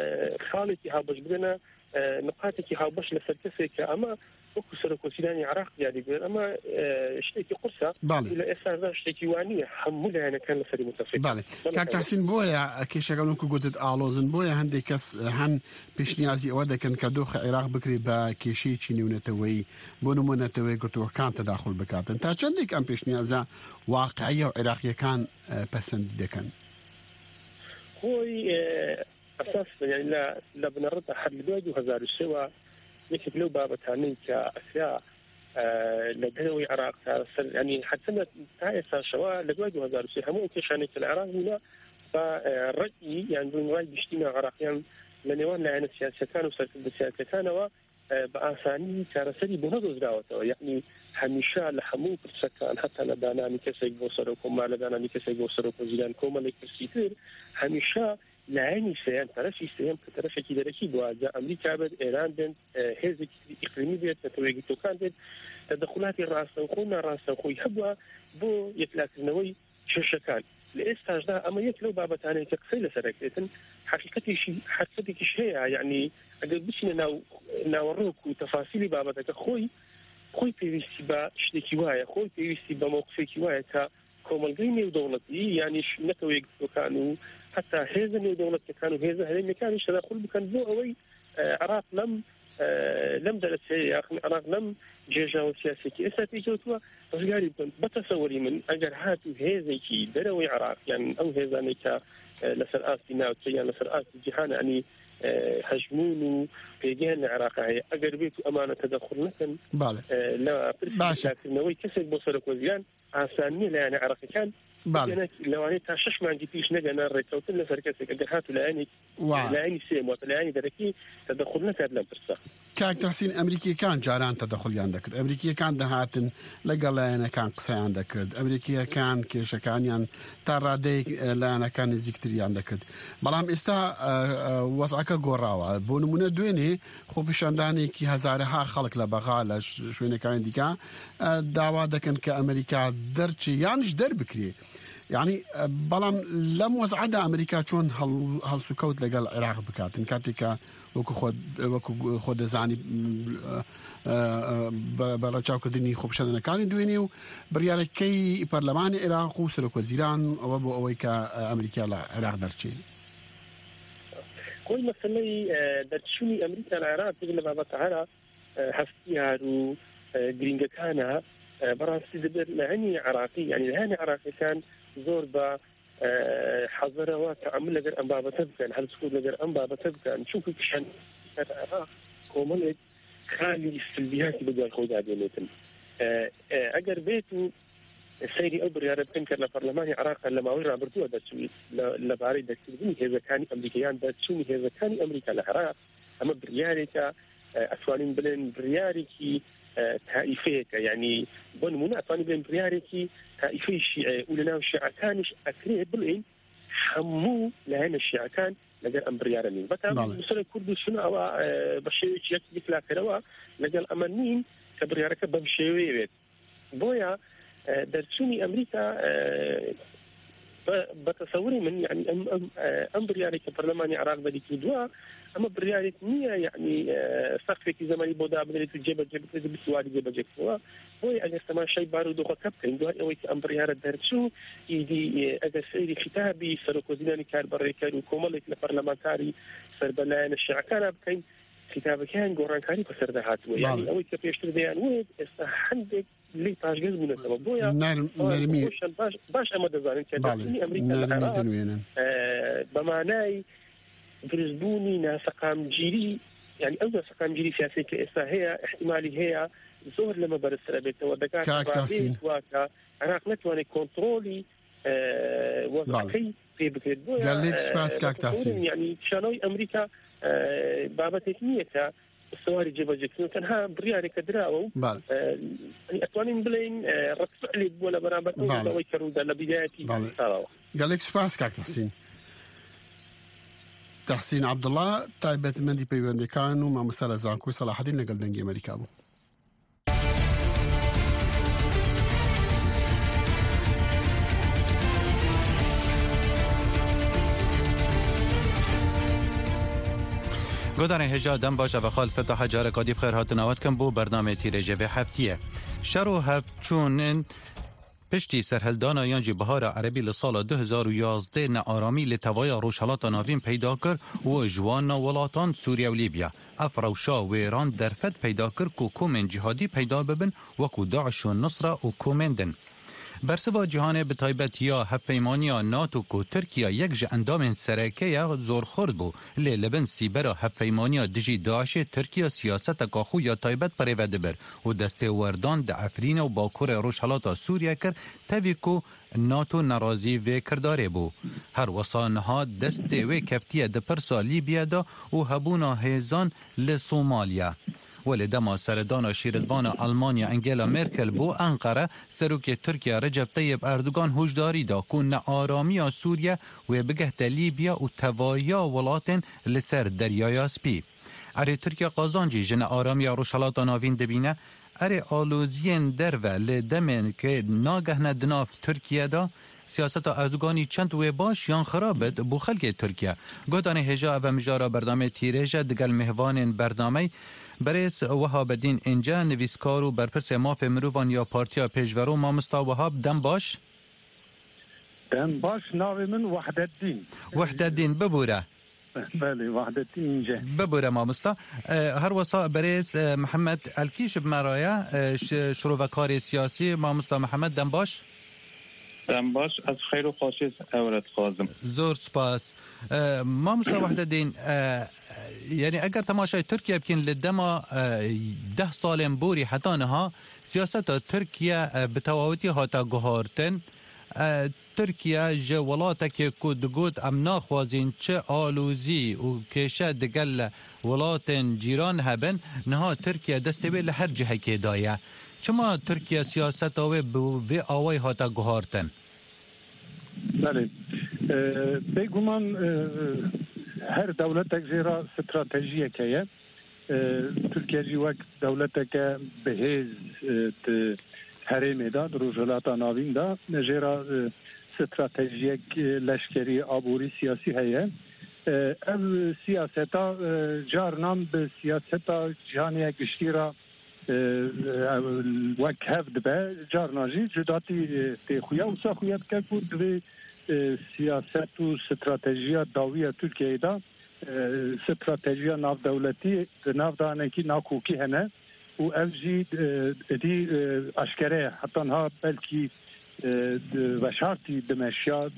خاڵێکی هاوبەش، بگەنە، ئە، نقاتێکی هاوبەش لەسەر کەسێک کە ئەمە وەکو سەرۆکوەزیرانی عێراق دیاری بێت، ئەمە، ئە، شتێکی قورسە. بەڵێ. لە ئێستادا شتێکی وانییە، هەموو لایەنەکان لەسەری متفق. بەڵێ. بەڵێ. کاک تاسین، بۆیە کێشەکە وەکو گوتت ئاڵۆزن، بۆیە هەندێک کەس هەن پێشنیازی ئەوە دەکەن کە دۆخە عێراق بکرێت بە کێشەیەکی نێونەتەوەیی، بۆ نمونە نەتەوەی گرتووەکان تەداخل بکاتن. تا چەندێک ئەم پێشنیازە واقعیە و عێراقیەکان، ئە، پەسەندی دەکەن؟ خۆی، ئە، ئەساس، یعنی، لە، لە بنەڕەتدا هەر لە دوای دوو هەزار و سێ وە یەکێک لەو بابەتانەی کە ئەکرا، ئە، لە دەرەوەی عێراق تا سەر، یعنی، حتمە تا ئێستاشەوە لە دوای دوو هەزار و سێ هەموو ئەو کێشانەی کە لە عێراق بوونە بە، ئە، ڕەئی یان بوون ڕای گشتی ناو عێراقیان لە نێوان لایەنە سیاسیەکان و سەرکردە سیاسیەکانەوە، ئە، بە ئاسانی چارەسەری بۆ نەدۆزراوەتەوە. یعنی، هەمیشە لە هەموو پرسەکان، هەتا لە دانانی کەسێک بۆ سەرۆک کۆمار، لە دانانی کەسێک بۆ سەرۆک وەزیران، کۆمەڵێک پرسی تر، هەمیشە لایەنی سێیەم، تەرەفی سێیەم کە تەرەفێکی دەرەکی بووە، جا ئەمریکا بێت، ئێران بێت، ئە، هێزێکی ئیقلیمی بێت، نەتەوە یەکگرتووەکان بێت، تەدەخولاتی ڕاستەوخۆ و ناڕاستەوخۆی هەبووە بۆ یەکلاکردنەوەی کێشەکان. لە ئێستاشدا ئەمە یەک لەو بابەتانەیە کە قسەی لەسەر ئەکرێتن. حەقیقەتێکی، حەقیقەتێکیش هەیە، یعنی، ئەگەر بچینە ناو، ناوەڕۆک و تەفاسیلی بابەتەکە، خۆی، خۆی پێویستی بە شتێکی وایە، خۆی پێویستی بە مەوقفێکی وایە کە کۆمەڵگەی نێودەوڵەتی، یانیش نەتەوە یەکگرتووەکان و هەتا هێزە نێودەوڵەتیەکان و هێزە هەرێمیەکانیش تەداخل بکەن بۆ ئەوەی، ئە، عێراق لەم، ئە، لەم دەرەچەیە، یاخود عێراق لەم گێژاوە سیاسیەکی ئێستا پێی کەوتووە، ڕزگاری بکەن. بە تەسەوەری من، ئەگەر هاتوو هێزێکی دەرەوەی عێراق، یان ئەو هێزانەی کە، ئە، لەسەر ئاستی ناوچە یان لەسەر ئاستی جیهان، یعنی، ئە، هەژموون و پێگەیان لە عێراق هەیە، ئەگەر بێت و ئەمانە تەدەخل نەکەن، بەڵێ. ئە، لە پرسی باشە. پێداکردنەوەی کەسێک بۆ سەرۆک وەزیران، ئاسان نییە لایەنە عێراقیەکان بەڵێ. بگەنە لەوانەیە تا شەش مانگی پیش نەگەنە ڕێککەوتن لەسەر کەسێک، ئەگەر هاتوو لایەنێک، وا. لایەنی سێم، واتە لایەنی دەرەکی تەدەخل نەکات لەم پرسە. کاک تەحسین، ئەمریکیەکان جاران تەدەخلیان دەکرد، ئەمریکیەکان دەهاتن لەگەڵ لایەنەکان قسەیان دەکرد، ئەمریکیەکان کێشەکانیان تا ڕادەیەک، ئە، لایەنەکان نزیکتریان دەکرد. بەڵام ئێستا، ئە، ئە، وەزعەکە گۆڕاوە. بۆ نمونە دوێنێ خۆپیشاندانێکی هەزارەها خەڵک لە بەغا، لە ش-، شوێنەکانی دیکە، ئە، داوا دەکەن کە ئەمریکا دەرچێ یانش دەربکرێ. یعنی، ئە، بەڵام لەم وەزعەدا ئەمریکا چۆن هەڵ-، هەڵسوکەوت لەگەڵ عێراق بکاتن، کاتێک کە وەکو خۆ، وەکو خۆ دەزانی، ئە، ئە، بە، بە ڕەچاوکردنی خۆپیشاندانەکانی دوێنێ و بڕیارەکەی پەرلەمانی عێراق و سەرۆک وەزیران ئەوە بۆ ئەوەی کە، ئە، ئەمریکا لە عێراق دەرچێ. خۆی مەسەلەی، ئە، دەرچوونی ئەمریکا لە عێراق، یەک لە بابەتە هەرە، ئە، هەستیار و، ئە، گرنگەکانە، ئە، بەڕاستی دەبێت لایەنی عێراقی، یعنی لایەنی عێراقیەکان زۆر بە، ئە، حەزەرەوە تەعامل لەگەر ئەم بابەتە بکەن، هەڵسوکەوت لەگەر ئەم بابەتە بکەن، چونکە کشان عێراق کۆمەڵێک خالی سلبیاتی بە دوای خۆیدا دێنێتن. ئە، ئە، ئەگەر بێت و سەیری ئەو بڕیارە بکەن کە لە پەرلەمانی عێراق لە ماوەی ڕابردووە دەرچووی لە، لەبارەی دەرکردنی هێزەکانی ئەمریکا یان دەرچوونی هێزەکانی ئەمریکا لە عێراق، ئەمە بڕیارێکە، ئە، ئەتوانین بڵێن بڕیارێکی، ئە، تائیفەیەکە، یعنی بۆ نمونە ئەتوانین بڵێن بڕیارێکی تائیفەی شیعە و لە ناو شیعەکانیش ئەکرێ بڵێن هەموو لایەنە شیعەکان لەگەر ئەم بڕیارە نین. بەتام بەڵێ. نووسەرە کورد و سونە ئەوە، ئە، بە شێوەیەکی یەک یەکلاکەرەوە لەگەڵ ئەمە نین کە بڕیارەکە بەم شێوەیە بێت. بۆیە، ئە، دەرچوونی ئەمریکا، ئە، بە، بە تەسەوری من، یعنی ئەم، ئەم، ئە، ئەم بڕیارێک کە پەرلەمانی عێراق دەری کردووە، ئەمە بڕیارێک نییە، یعنی، ئە، سەقفێکی زەمانی بۆ دابنرێت و جێبەجێ بکرێت و بتوانێت جێبەجێ بکەوە. بۆیە ئەگەر تەماشای بارودۆخەکە بکەین، دوای ئەوەی کە ئەم بڕیارە دەرچوو، ئیدی، ئە، ئەگەر سەیری خیتابی سەرۆک وەزیرانی کاربەڕێکەر و کۆمەڵێک لە پەرلەمانتاری سەربەلایەنە شیعەکانە بکەین، خیتابەکەیان گۆڕانکاری بەسەردا هاتووە. یعنی بەڵێ. ئەوەی کە پێشتر دەیان وت، ئێستا هەندێک لی پاشگەز بوونەتەوە. بۆیە نەرم-، ئەوان نەرمی. خۆشیان باش، باش ئەمە دەزانن کە بەڵێ. دەرچوونی ئەمریکا لە نەرمی عێراق، دەنوێنن. ئە، بە مانای دروستبوونی ناسەقامگیری، یعنی ئەو ناسەقامگیری سیاسی کە ئێستا هەیە، احتیمالی هەیە زۆر لەمە بەرزترە بێتەوە. دەکاتە کاک ڕادەیەک تاسین. واتە عێراق نەتوانێت کۆنترۆلی، ئە، وەزعەکەی بەڵێ. پێ بکرێت. بۆیە، گەلێک ئە، سوپاس کاک تاسین. یعنی پیشانەوەی ئەمریکا، ئە، بابەتێک نییە کە سواری جێبەجێکردن، تەنها بڕیارێکە دراوە و، بەڵێ. ئە، یعنی ئەتوانین بڵێن، ئە، ڕەد فعلێک بووە لە بەرامبەر ئەو بەڵێ. ڕووداوەی کە ڕوودا لە بیدایەتی بەڵێ. ساڵەوە. گەلێک سوپاس کاک تەحسین. تەحسین عەبدوڵا، تایبەتمەندی پەیوەندەکان و مامۆستا لە زانکۆی سەلاحەدین لەگەڵ دەنگی ئەمریکا بوو. Godarên hêja dem baş, ev xal Fetaha careka dî bi xêr hatina we dikim bo bernamê tîrêjê vê heftiyê. Şer û hevçûnin piştî serhildana yan jî bihara erebî li sala du hezar û yazdeh nearamî li tevaya Rojhelata Navîn peyda kir û ji wan na welatan Sûriye û Lîbya. Ev rewşa wêran derfet peyda kir ku komên cîhadî peyda bibin, wekû DAIŞ û Nusra û komên din. Bersiva cîhanê, bi taybet ya hevpeymaniya NATO ku Tirkiye yek ji endamên sereke ye, zor xurt bû. Lê li bin sîbera hevpeymaniya dijî DAIŞê Tirkiye siyaseteka xwe ya taybet birêve dibir û destêwerdan di Efrînê û bakurê rojhelata Sûriye kir, tevî ku NATO nerazî vê kirdarê bû. Her wisa niha destê wê keftiye di pirsa Lîbya de û hebûna hêzan li Somalya. Welê dema seredana şîretvana Almanya Angela Merkel bû Enqere, serokê Tirkiye Recep Tayyip Erdogan hûşdarî da ku nearamiya Sûriye wê bigehte Lîbya û tevahiya welatên li ser Deryaya Spî. Erê Tirkiye qazancî ji nearamiya Rojhelata Navîn dibîne? Erê aloziyên derve li demên ku nagehne di nav Tirkiye de? Siyaseta Erdoganî çend wê baş yan xirab bit bo xelkê Tirkiye? Guhdarên hêja, ev e mijara bernameyê Tîrêj e, digel mêvanên bernameyê berêz Wehabedîn Înce, nivîskar û berpirsê mafê mirovan ya Partiya Pêşverû, mamosta Wehab, dem baş. Dem baş, navê min Wehdeddîn. Wehdeddîn, bibûre. Belê, Wehdeddîn Înce. Bibûre mamosta. E, her wisa berêz, e, Mihemed Elkî ji bi me re ye, e, ş-, şirovekarê siyasî. Mamosta Mihemed, dem baş. Dem baş, ez xeyr û xweşiyê ew re dixwazim. Zor spas. E, mamosta Wehdeddîn, e, yanî eger temaşayê Tirkiye bikin, li dema, e, deh salên borî heta niha siyaseta Tirkiye, e, bi tewawetî hate guhartin. E, Tirkiye ji welatekê ku digot, "Em naxwazîn çi alozî û kêşe digel welatên cîran hebin", niha Tirkiye destê wê li her cihekê daye. Çima Tirkiye siyaseta wê bi vê awayî hate guhartin? Belê. E, bêguman, e, her dewletek jê re stratejiyek heye. E, Tirkiye jî wek dewleteke bihêz, e, di herêmê de, di Rojhilata Navîn de, jê re, e, stratejiyek, e, leşkerî, aborî, siyasî heye. E, ev siyaseta, e, carinan bi siyaseta cîhanê ya giştî re, e, e, wek hev dibe, carna jî cudatî, e, tê xuya, wisa xuya dike ku divê, e, siyaset û stratejiya dawî ya Tirkiyeyê de e, stratejiya navdewletî di nav de hinekî nakokî hene û ev jî, e, êdî, e, aşkere ye. Heta niha belkî, e, di veşartî dimeşiya,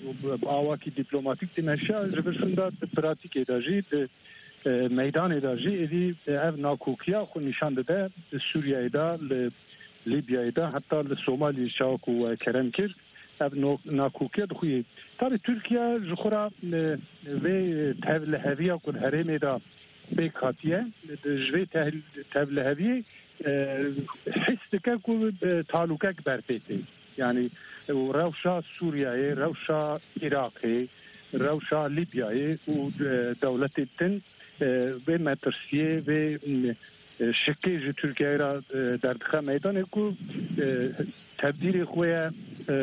bi awakî dîplomatîk dimeşiya, ji vir şûnda di pratîkê de jî, di, e, meydanê de jî êdî, e, ev nakokiya xwe nîşan dide. Li Sûriyeyê de, li Lîbyayê de, heta li Somaliyê çawa ku we kerem kir, ev no-, nakokiya dixuye. Tabî Tirkiye ji xwe re, e, vê tevliheviya ku li herêmê de pêk hatiye, ji vê tehl-, tevliheviyê, e, his dike ku, e, talûkek berpê tê. Yanî, e, rewşa Sûriyeyê, rewşa Iraqê, rewşa Lîbyayê û, e, dewletê din, e, vê metirsiyê, vê, e, şikê ji Tirkiyeyê re, e, derdixe meydanê ku, e, tebdîrê xwe ye, e,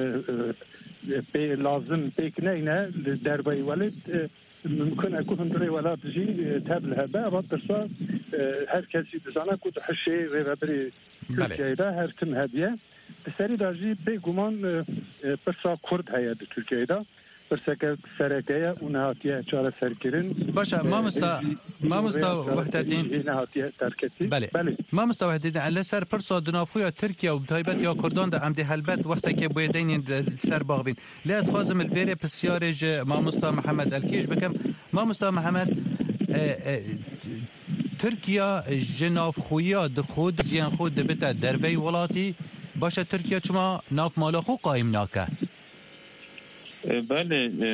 e, pê lazim pêk neyne li derveyî welêt, e, mimkun e ku hundirê welat jî, e, tev li hebe. Eva pirsa, e, her kes jî dizane ku di hişê rêvebirê Belê. Tirkiyeyê de her tim hediye. Di serî de jî bêguman, e, e, pirsa Kurd heye di Tirkiyeyê de. Pirseke sereke ye û nehatiye çareserkirin. Baş e, E, mamosta, hêjî mamosta rêya Wehdeddîn. Jî nehatiye derketî. Belê. Belê. Mamosta Wehdeddîn, li ser pirsa di navxwe ya Tirkiye û bi taybet ya Kurdan de em dê helbet wextekê bûyê deynên li ser baxivîn. Lê ez dixwazim li vêrê pisyarê ji mamosta Mihemed Elkî jî bikim. Mamosta Mihemed, e, e, Tirkiye ji navxweya di xwe, di ziyên xwe dibite derveyî welatî. Baş e, Tirkiye çima nav mala xwe qayîm nake? E, belê, e,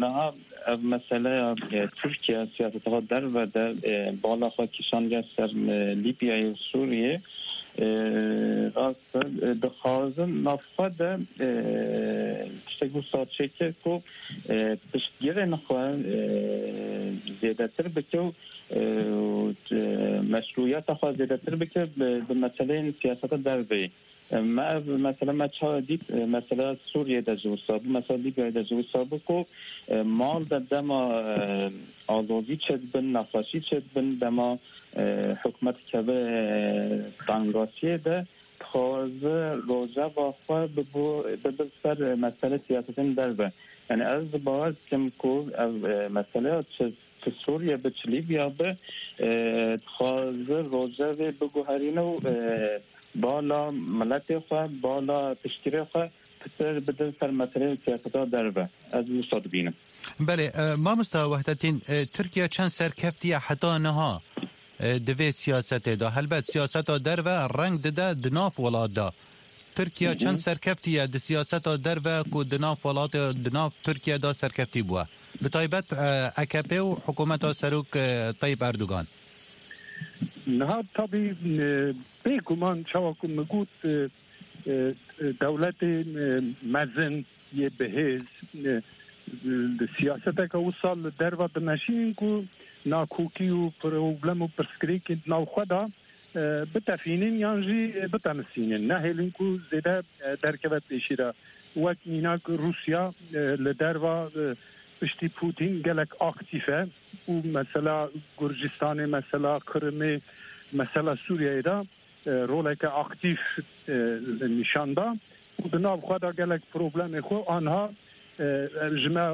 niha ev meseleya, e, Tirkiye siyaseta xwe derve de, e, bala xwe kişandiye ser, e, Lîbyayê û Sûriyê. E, rast e, dixwazin nav xwe de, e, tiştek wisa çêke ku, e, piştgirên xwe, e, zêdetir bike û, e, û, e, meşrûyeta xwe zêdetir bike bi, bi meseleyên siyaseta derveyî. E, me ev mesele me çawa dît, e, mesela Sûriyê de jî wisa bû, mesela Lîbyayê de jî wisa bû ku, e, mal de dema, e, alozî çêdibin, nexweşî çêdibin, dema, e, hikûmet keve, e, tengasiyê de, dixwaze rojeva xwe bibo, bibe ser mesele siyasetên derve. Yani ez bawer dikim ku ev, e, meseleya çi, çi Sûriye bi, çi Lîbya bi, e, dixwaze rojevê biguherîne û, e, bala miletê xwe, bala piştgirê xwe pitir bidin ser meseleyên siyaseta derve. Ez wisa dibînim. Belê, e, mamosta Wehdettîn, e, Tirkiye çend serkeftiye heta niha, e, di vê siyasetê de? Helbet siyaseta derve reng dide di nav welat de. Tirkiye Hı hı. çend serkeftiye di siyaseta derve ku di nav welatê, di nav Tirkiye de serkeftî bûye? Bi taybet, e, A K P û hikûmeta Serok, e, Tayyip Erdogan. Niha tabî, e, bêguman çawa ku min got, e, e, dewletê, e, mezin yê bihêz, e, di siyaseteke wisa li derva dimeşînin ku nakokî û problem û pirsgirêkên di nav xwe de, e, bitefînin yan jî, e, bitemisînin. Nehêlin ku zêde, e, derkeve pêşî de. Wek mînak Rûsya, e, li derva, e, piştî Putin gelek aktîf e û mesela Gurcistanê, mesela Qirimê, mesela Sûriyeyê de, e, roleke aktîf, e, nîşan da û di nav xwe de gelek problemê xwe anha, e, ji me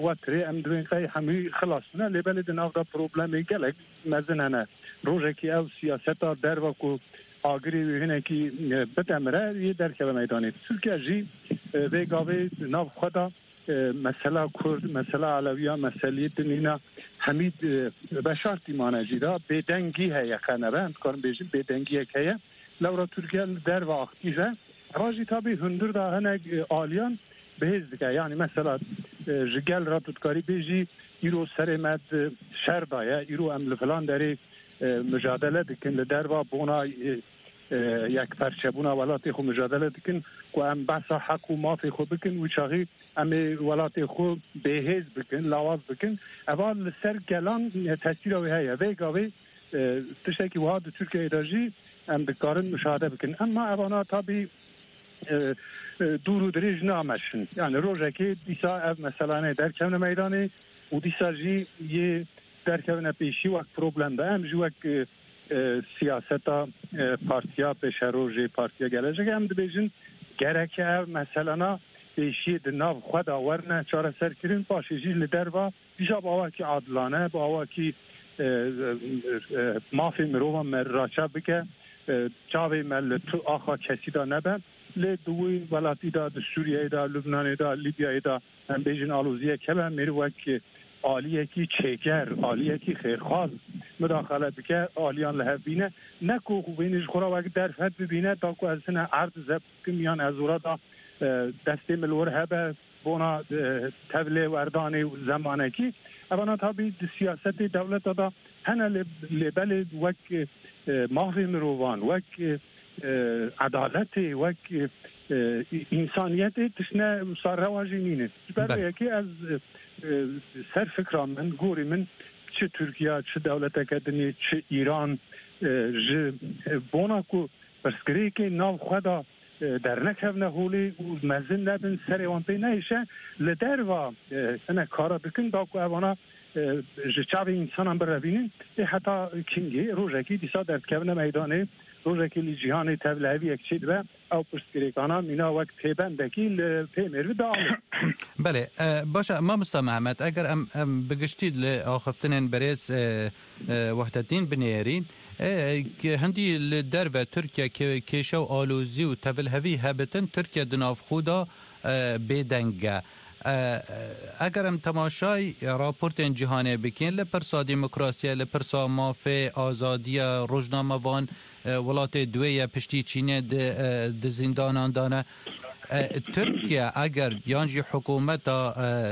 wetirê em dibên qey hemî xilas bûne, lê belê di nav de problemê gelek mezin hene. Rojekî ew siyaseta derva ku agirê wê hinekî, e, bidemire, yê derkeve meydanê. Tirkiye jî, e, vê gavê di nav xwe de e, mesela Kurd, mesela Elewiya, meseleyê din nîna hemî, e, veşartî mane jî de bêdengî heye, qe nebe, em dikarin bêjin bêdengiyek heye. Lewra Tirkiye li derve aktîf e. Eva jî tabî hundir de hinek, e, aliyan bihêz dike. Yani mesela, e, ji gel re tu dikarî bêjî îro serê me di şer de ye, îro em li filan derê, e, micadele dikin, li derva bona, e, e, yekperçebûna welatê xwe micadele dikin, ku em behsa heq û mafê xwe bikin, wî çaxî em ê welatê xwe bêhêz bikin, lawaz bikin. Eva li ser gelan, e, tesîra wê heye. Vê gavê, e, tiştekî wiha di Tirkiyeyê de jî em dikarin muşahede bikin. Emma evana tabî, e, e, dûr û dirêj nameşin. Yani rojekê dîsa ev meselanê derkevne meydanê û dîsa jî yê derkevine pêşî wek problem be. Em jî wek, e, e, siyaseta, e, partiya pêşerojê, partiya geleceğe em dibêjin gereke ev meselana pêşiyê di nav xwe de werine çareserkirin, paşê jî li derva dîsa bi awakî adilane, bi awakî, e, e, e, mafê mirovan me raçav bike, e, çavê me li tu axa kesî de nebe. Lê di wî welatî de, di Sûriyeyê de, Lubnanê de, Lîbyayê de, em bêjin aloziyek hebe, mêr wek aliyekî çêker, aliyekî xêrxwaz midaxele bike, aliyan li hev bîne. Ne ku wênê ji xwe re wek derfet bibîne, da ku ez hine erd zebt bikim yan ez ora da, e, destê min li wir hebe, bona, e, tevlê werdanê û zemanekî. Evana tabî di siyasetê dewleta da hene lê, lê belê wek, e, mafê mirovan, wek, e, e, edaletê, wek, e, e, însaniyetê tiştine wisa rewa jî nîne. Ji ber Belê. vê yekê ez, e, e, ser fikra min, gorî min, çi Tirkiye, çi dewleteke dinê, çi Îran, e, ji, e, bona ku pirsgirêkê nav xwe de, e, dernekevne holê û mezin nebin, serê wan pê nehêşe, li derva, e, hinek kara dikin, da ku evana, e, ji çavê însanan birevînin, ê heta kingê, rojekî dîsa derdikevine meydanê, rojekî li cîhanê tevliheviyek çêdibe, ew pirsgirêkana mîna wek pêbendekî li pê mêrvî dialim. Belê, e, baş e, mamosta Mehmet, eger em, em bi giştî li axiftinên berêz, e, e, Wehdettîn binêrîn, e, ki hindî li derve Tirkiye ke-, kêşe û alozî û tevilhevî hebitin, Tirkiye di nav xwe de, e, bêdeng e. E, eger em temaşay raportên cîhanê bikin, li pirsa demokrasiyê, li pirsa mafê, azadiya rojnamevan, e, welatê duwê ye piştî Çînê di, e, di zîndanan de ne. E, Tirkiye eger yan jî hikûmeta,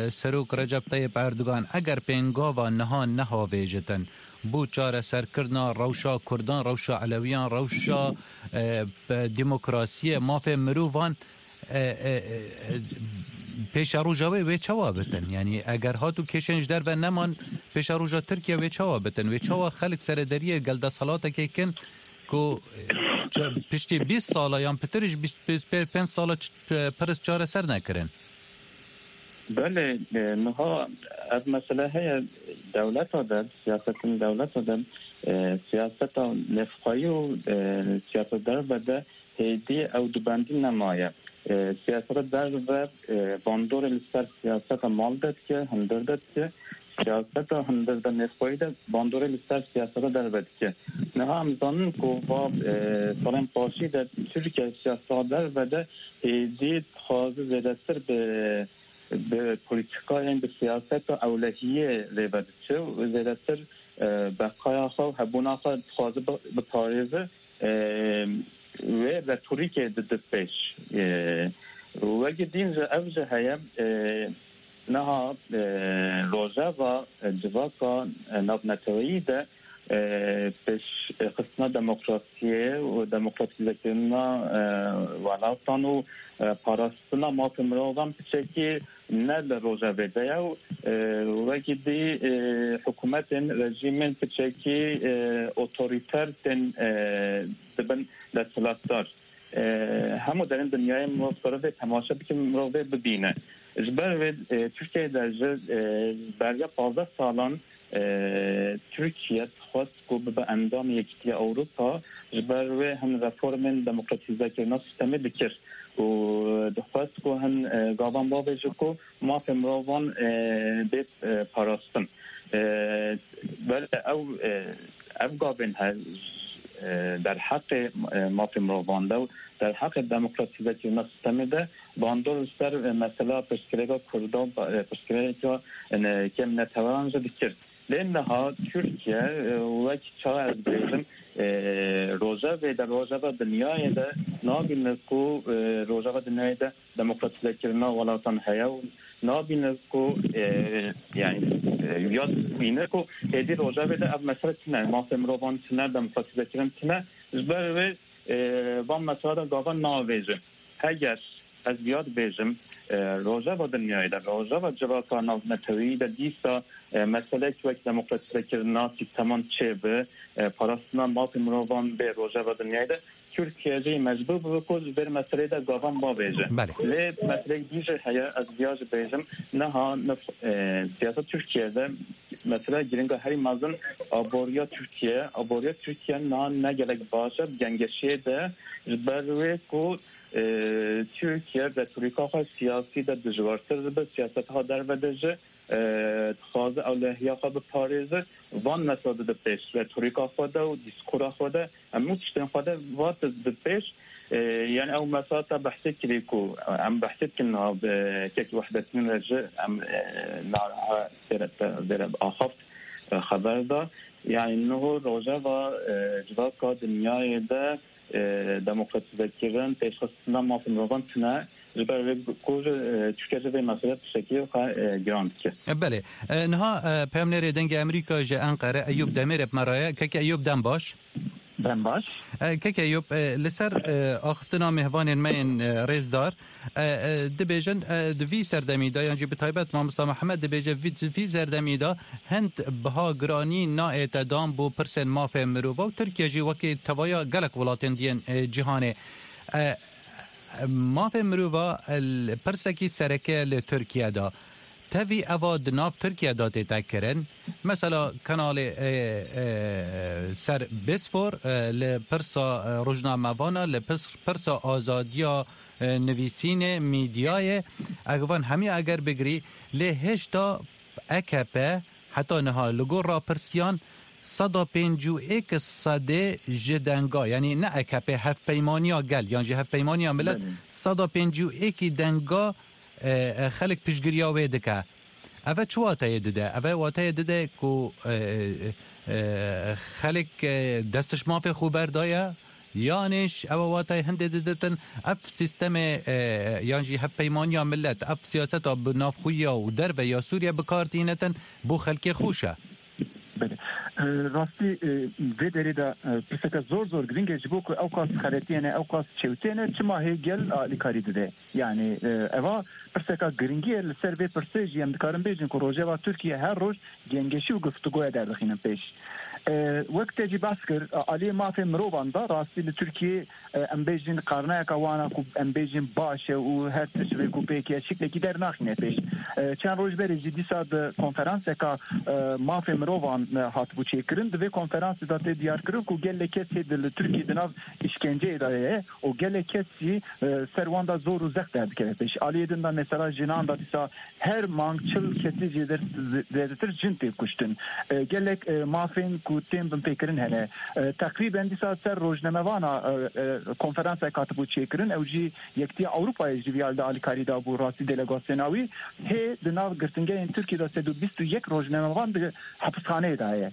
e, Serok Recep Tayyip Erdogan eger pêngava niha nehavêjitin, bo çareserkirina rewşa Kurdan, rewşa Elewiyan, rewşa, e, pe-, demokrasiyê, mafê mirovan, e, e, e, pêşeroja wê wê çawa bitin? Yanî eger hat û kêşên ji derve neman, pêşeroja Tirkiye wê çawa bitin? Wê çawa xelk serederiyê gel desthelatekê kin, ku, e, ça-, piştî bîst sala yan pitir ji bîst pê-, pê-, pênc sala ç-, e, pirs çareser nekirin. Belê, e, niha ev mesele heye dewleta de, siyasetên dewleta de, e, siyaseta nefxayî û, e, siyaseta derve de hêdî ew dubendî nemaye. E, siyaseta derve, e, bandorê li ser siyaseta mal de dike, hundir de dike. Siyaseta hundir de nefxayî de bandorê li ser siyaseta derve dike. Niha em zanin ku va, e, salên paşî de Tirkiye siyaseta derve de hêdî dixwaze zêdetir bi, bi polîtîkayên, bi siyaseta ewlehiyê lê vediçe û zêdetir, e, beqaya xwe û hebûna xwe dixwaze bi-, biparêze, e, wê retorîkê dide pêş. E, wekî din jî ev jî heye, e, niha, e, rojeva, e, civaka, e, navneteweyî de, e, pêşxistina demokrasiyê û demokratîzekirina, e, welatan û, e, parastina mafê mirovan piçekî ne li rojevê de ye û, e, wekî dî, e, hikûmetên, rejîmên piçekî, e, otorîter tên, e, dibin desthilatdar. E, hemû derên dinyayê mirov dikare vê temaşe bike, mirov vê bibîne. Ji ber vê, e, Tirkiyeyê de ji, e, beriya pazdeh salan, e, Tirkiye dixwest ku bibe endamê Yekîtiya Ewropa, ji ber wê hin reformên demokratîzekirina sîstemê dikir û dixwest ku hin, e, gavan bavêje ku mafê mirovan, e, bê, e, parastin. E, belê ew, e, ev gavên he, e, derheqê, e, mafê mirovan de û derheqê demokratîzekirina sîstemê de bandor li ser, e, mesela pirsgirêka Kurdan, e, pirsgirêka, e, kêm neteweran jî dikir. Lê niha Tirkiye, e, wek çawa ez dibêjim, e, rojevê de, rojeva dinyayê de nabîne ku, e, rojeva dinyayê de demokratîzekirina welatan heye û nabîne ku, e, yani, e, ya dibîne ku hêdî rojevê de ev mesele tune, mafê mirovan tune, demokratîzekirin tune, ji ber wê, e, van mesela de gava navêje. Heger ez viya dibêjim, e, rojeva dinyayê de, rojeva civaka navneteweyî de dîsa, e, meselek wek demokratîzekirina sîsteman çêbe, e, parastina mafê mirovan bê rojeva dinyayê de Tirkiye jî mecbûr bibe ku ji vê meseleyê de gavan bavêje. Belê. Lê meseleyek dî jî heye, ez viya jî bêjim, niha nif-, e, siyaseta Tirkiye de mesela giringa herî mezin aboriya Tirkiye, aboriya Tirkiye niha ne gelek baş e, bi gengeşiyê de ji ber wê ku, e, Tirkiye retorîka xwe siyasî de dijwartir dibe, siyaseta xwe derve de jî, e, dixwaze ewlehiya xwe biparêze, van mesela dide pêş, retorîka xwe de û dîskora xwe de, hemû tiştên xwe de va dide pêş. E, yani ew mesela te behsê kirî ku em behsê dikin niha bi kek Wehdettîn re jî em, e, niha sêre te, vêre bi axaft, e, xeber da. Yani niho rojeva, e, civaka dinyayê de, e, demokratîzekirin, pêşxistina mafê mirovan tune. Ji ber vê ku, e, Tirkiye ji vê meselê tiştekî xwe, e, giran dike. E, belê. E, niha, e, peyamnêrê Dengê Amerîka ji Enqere Eyûp Demêrê bi me re ye. Keke Eyûp, dem baş. Dem baş. E, keke Eyûp, e, li ser, e, axiftina mêvanên me yên, e, rêzdar, e, e, dibêjin, e, di vî serdemî de, yan jî bi taybet Mamosta Mihemed dibêje, vî, di vî serdemî de hind biha giranî naête dan bo pirsên mafê mirova û Tirkiye jî wekî tevaya gelek welatên diyên, e, cîhanê. E, mafê mirova, e, li pirsekî sereke li Tirkiye de. Tevî eva di nav Tirkiye de tête kirin. Mesela kanalê, e, e, ser Bêsfor, e, li pirsa, e, rojnamevana, li pis-, pirsa azadiya, e, nivîsînê, mîdyayê, ev van hemî eger bigirî, lê hêşta A K P heta niha li gor rapirsiyan seda pêncî û êk sedê ji denga, yanî ne A K P, Hevpeymaniya Gel, yan jî Hevpeymaniya Milet, Belê. Seda pêncî û êkî denga, e, e, xelk piştgiriya wê dike. Eve çi wateyê dide? Eve wateyê dide ku, e, e, e, xelk, e, dest ji mafê xwe berdaye, yanî ji ew wateyê hindê diditin, ev sîstemê, e, yan jî Hevpeymaniya Milet, ev siyaseta bi navxweya û derve ya Sûriye bi kar tînitin bo xelkê xweş e. Belê. E, rastî, e, vê derê de, e, pirseke zor zor giring e, ji bo ku ew qas xeletiyene, ew qas çewtiyene, çima hê gel alîkarî dide? Yani, e, eva pirseka giringî ye, li ser vê pirsê jî em dikarin bêjin ku rojeva Tirkiye her roj gengeşî û guftûgoya derdixînin pêş. E, wek te jî behs kir, e, aliyê mafê mirovan de rastî li Tirkiyê, e, em bêjin qarnayeka wana ku em bêjin baş e û her tişt rêk û pêk e, şiklekî dernaxîne pêş. E, çend roj berê jî dîsa di konferanseka, e, mafê mirovan, e, hatibû çêkirin. Di vê konferansê de tê diyarkirin ku gelek kes hê di li Tirkiyê di nav îşkenceyê de ye û gelek kes jî, e, ser wan de zor û zext derdikeve pêş. Aliyê din de mesela jinan de dîsa her mang çil kesî jê der-, zêdetir jin tê kuştin. E, gelek, e, mafên ku tên binpêkirin hene. E, teqrîben dîsa ser rojnamevana, e, e, konferansek hatibû çêkirin. Ew jî Yekitiya Ewropayê ji vî alî de alîkarî dabû, rastî delegasyona wî. Hê di nav girtingehên Tirkiyê de sed û bîst û yek rojnamevan di hepisxaneyê de ye.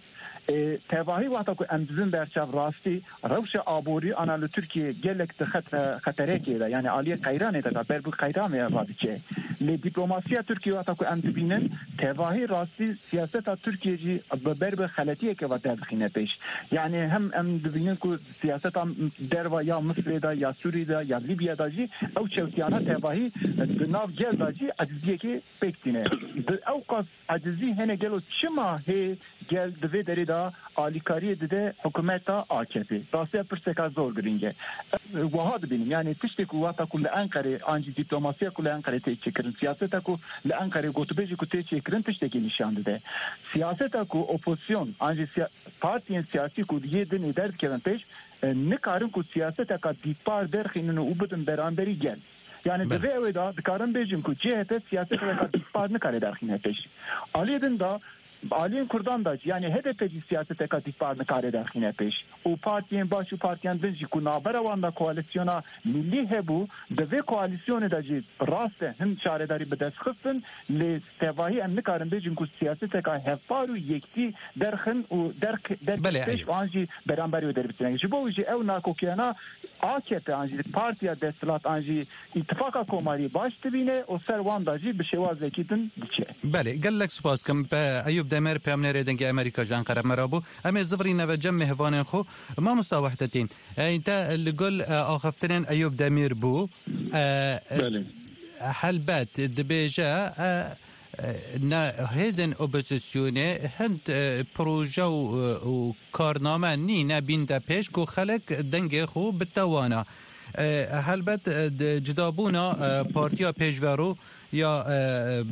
E, tevahî wexta ku em dibin berçav rastî, rewşa aborî ana li Tirkiyê gelek di xet-, e, xeterekê de, yani aliyê qeyranê de, ber bi qeyranê re diçe. Lê diplomasiya Tirkiyê wexta ku em dibînin, tevahî rastî siyaseta Tirkiyê jî bi ber bi xeletiyeke ve derdixîne pêş. Yani hem em dibînin ku siyaseta derva ya Misirê de, ya Sûrî de, ya Lîbya de jî ew çewtiyana tevahî di nav gel de jî eciziyekê pêk tîne. Di ew qas ecizî hene gelo çima hê gel di vê derê de alîkariyê dide hikûmeta A K P? Rastiya pirseka zor girîng e. Ez wiha dibînim, yani tiştê ku wata ku li Enqerê an jî diplomasiya ku li Enqerê tê çêkirin, siyaseta ku li Enqerê gotûbêjê ku tê çêkirin tiştekî nîşan dide. Siyaseta ku opozisyon an jî siya-, partiyên siyasî ku yê dinê derdikevin pêş, e, nikarin ku siyaseteka dîtpar derxînin û bidin beramberî gel. Yani di Belê. vê ewê de dikarin bêjin ku C H P siyaseteka dîtpar nikare derxîne pêş. Aliyê din de, aliyên Kurdan de jî, yani H D P jî siyaseteka dîtpar nikare derxîne pêş. Û partiyên baş û partiyên din jî ku navbera wan de koalisyona milî hebû, di vê koalisyonê de jî rast e hin şaredarî bi dest xistin, lê tevahî em nikarin bêjin ku siyaseteka hevpar û yektî derxin û derk-, derkevin Belê, pêş eyb. û an jî beramberî wê derbitîne. Ji bo wî jî ew nakokiyana A K P an jî partiya desthilat an jî îtifaqa komarî baş dibîne û ser wan de jî bi şêwazekî din diçe. Belê, gelek spas kim. Pe-, Eyûp Demir, peyamnêrê Dengê Amerîka ji Enqere me re bû. Em ê zivirîne ve cem mêvanên xwe. Mamosta Wehdetîn, ey te li gul, e, axiftinên Eyûp Demir bû. E, e, Belê. Helbet dibêje, e, e, ne, hêzên opozisyonê hind, e, proje û, e, û karname nîne bînde pêş ku xelk dengê xwe bitewana. E, helbet, e, di cidabûna, e, Partiya Pêşverû ya, e,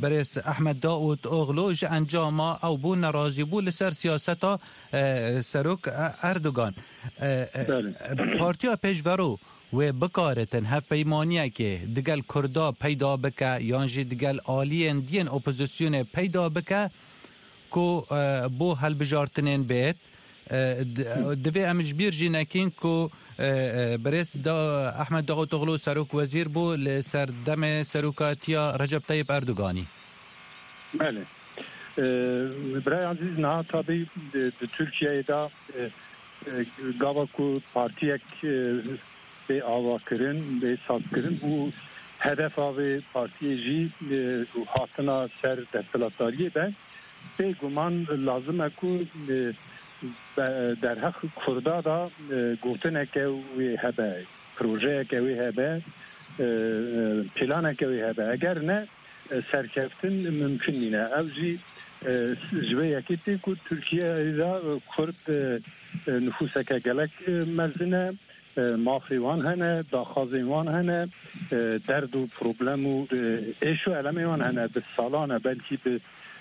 Birêz Ehmed Daûtoglu ji encama ew bû nerazî bû li ser siyaseta, e, Serok, e, Erdogan. E, e, Belê. Partiya Pêşverû wê bikaritin hevpeymaniyekê digel Kurda peyda bike yan jî digel aliyên diyên opozisyonê peyda bike ku, e, bo helbijartinên bêt. E, di, divê em ji bîr jî nekin ku, e, e, birêz da, Ehmed Davutoglu serok wezîr bû li ser demê serokatiya Recep Tayyip Erdoganî. Belê. E, Birayê Ezîz, niha tabî di, di Tirkiyeyê de, e, e, gava ku partiyek, e, bê avakirin, bê sazkirin û hedefa vê partiyê jî, e, hatina ser desthilatdariyê be. Bêguman lazim e ku, e, be-, derheq Kurda da, e, gotineke wê hebe, projeyeke wê hebe, e, e, planeke wê hebe. Eger ne, e, serkeftin mimkun nîne. Ev jî, e, ji vê yekê tê ku Tirkiyeyê de, e, Kurd, e, e, nifûseke gelek, e, mezin e. E, mafê wan hene, daxwazên wan hene, e, derd û problem û, e, êş û elemê wan hene. Bi salan e, belkî bi,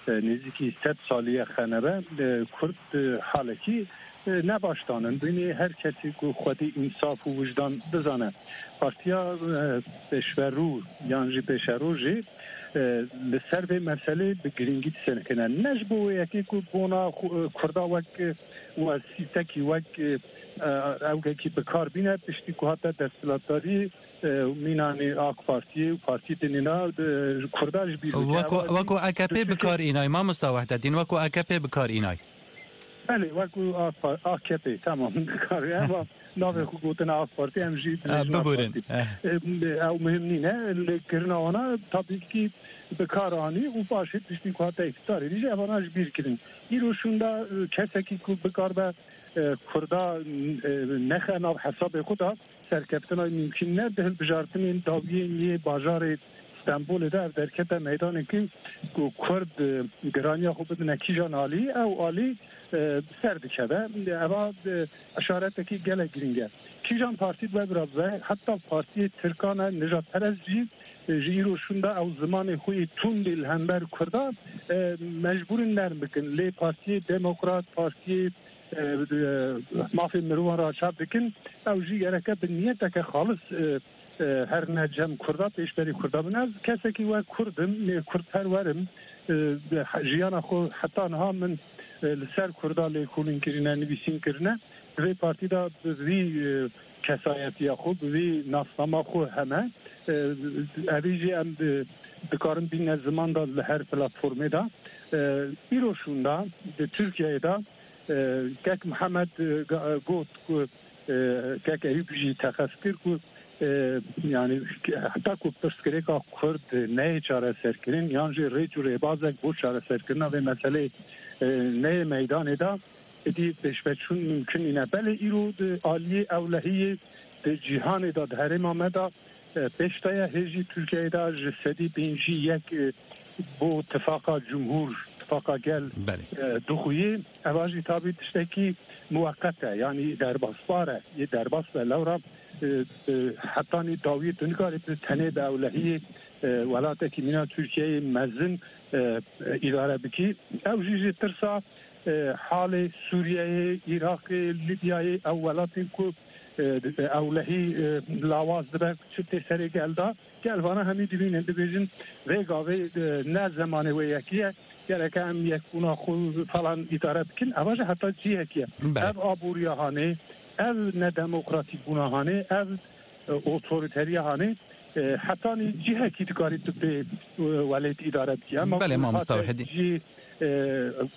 e, nêzîkî sed salî ye xenebe, e, Kurd, e, halekî, e, ne baş danin. Bînî her kesî ku xwedî însaf û wijdan bizane. Partiya, e, Pêşverû yan jî Pêşerû jî, e, li ser vê meselê bi girîngî disekine. Ne ji bo wê yekê ku bona xu-, e, Kurda wek, e, wersîtekî, wek, e, e, ewgekî bi kar bîne, piştî ku hate desthilatdarî, e, mînanî AK Partiyê û partiyê dinê ne, e, Kurda ji bîr bike. Weko, Ev weko A K P tu bi kar înay, mamosta Wehdetîn, weko A K P bi kar înay. Belê, weko A K P, A K P, tamam, bi kar, ama navê xwe gotina AK Parti, em jî Ha, dibêjin AK biburin. Parti. Eh. E, ew muhim nîne, lê kirina wana tabî ki bi kar anî û paşê piştî ku hate îktidarê dî jî evana ji bîr kirin. Îro şûnda, e, kesekî ku bikar be, e, Kurda, e, nexe nav hesabê xwe da, serkeftina mümkün ne, di hilbijartinên dawiyên yê bajarê Stenbolê de ev derkete meydanekî ku Kurd, e, giraniya xwe bidine kîjan alî, ew alî, e, ser dikeve. Eva, e, işaretekî gelek girîng e. Kîjan partî bi we bira bibe, heta partiyê Tirkan e, nijadperest jî, e, ji îro şûnda ew zimanê xwe yê tundê li hember Kurda, e, mecbûr in nerm bikin. Lê partiyê demokrat, partiyê, e, e, mafê mirovan re çap dikin, ew jî gereke bi niyeteke xalis, e, e, herine cem Kurda, pêşberî Kurda bin. Ez kesekî wek Kurd im, lê Kurdperwer im. E, jiyana xwe heta niha min, e, li ser Kurda lêkolîn kirine, nivîsîn kirine. Di vê partî de bi vî, e, kesayetiya xwe, bi vî nasnama xwe heme. E, evî jî em di, dikarin bîne ziman de li her platformê de. E, îro şûnda di Tirkiyeyê de, e, kek Mihemed, e, ga-, got ku, e, kek Eyûp jî teqez kir ku, e, yani, heta ku pirsgirêka Kurd neyê çareserkirin, yan jî rêç û rêbazek bo çareserkirina vê meseleyê, e, neyê meydanê de, êdî pêşveçûn mimkun nîne. Belê îro di aliyê ewlehiyê di cîhanê de, di herêma me de, e, pêş de ye. Hê jî Tirkiyeyê de ji sedî pêncî yek, e, bo tifaqa cumhur, tifaqa gel, Belê. e, dixuye. Eva jî tabî tiştekî muweqet e, yanî derbasdar e, yê derbas be. Lewra, e, e, hetanî dawiyê tu nikarî tu tenê bi ewlehiyê, e, welatekî mîna Tirkiyeyê mezin, e, e, îdare bikî. Ew jî ji tirsa, e, halê Sûriyeyê, Iraqê, Lîbyayê, ew welatên ku, e, ewlehî, e, lawaz dibe, çi tê serê gel de, gel vana hemî dibînin, dibêjin, vê gavê, e, ne zemanê wê yekî ye, gereke em yekbûna xwe falan îdare bikin. Eva jî heta cihekî ye. Belê. Ev aboriya hanê, ev nedemokratîkbûna hanê, ev, e, otorîteriya hanê, e, hetanî cihekî dikarî tu pê, e, welêt îdare bikî. Ema Belê, ku mamosta hate Wehedî. jî, e,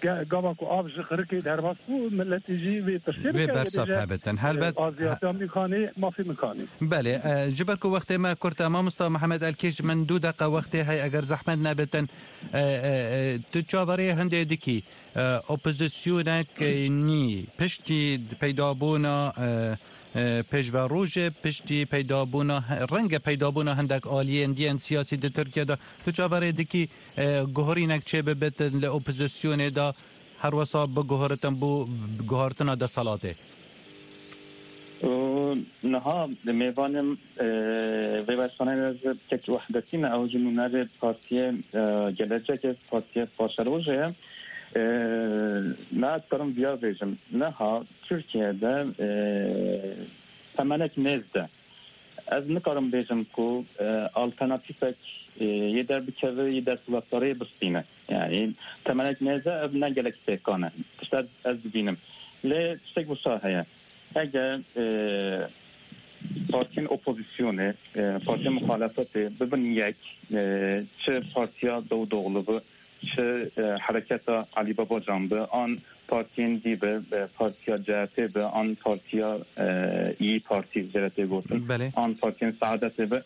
ge-, gava ku av ji xirikê derbas bû, miletê jî vê pirsê Vê bike, bersav bêje, hebitin. e, Helbet, aziyatiya min kanê, mafê min kanê. Belê, e, ji ber ku wextê me kurt e, mamosta Mihemed Elkêş, min du deqa wextê heye, eger zehmet nebitin, e, e, e, tu çaverê hindê dikî, e, opozisyonek, e, nî, piştî peydabûna, e, e, pêşverojê, piştî peydabûna, renge peydabûna hindek aliyên diyên siyasî di Tirkiye de, tu çaverê dikî, e, guhorînek çêbibitin li opozisyonê de, her wesa biguhoritin bo guhartina deselatê? Û niha mêvanê, e, vê bersaneya ez kek Wehdetî me, ew jî nûnerê partiyê, e, Gelecekê, partiyê paşerojê ye. E, me ez karim viya bêjim. Niha Tirkiyeyê de, e, temenek nêz de. Ez nikarim bêjim ku, e, alternatîfek, e, yê derbikeve, yê desthilatdariyê bistîne. Yani temenek nêze ev ne gelek pêkan e. Tişt ez, ez dibînim. Lê tiştek wisa heye. Eger, e, partiyên opozisyonê, e, partiyên muxalefetê bibin yek, e, çi partiya Davutoğlu bi, çi, e, hereketa Alî Babacan bi, an partiyên dî bi, e, partiya C H P bi, an partiya, e, İYİ Parti jê re tê gotin, Belê. an partiyên Saadetê bi,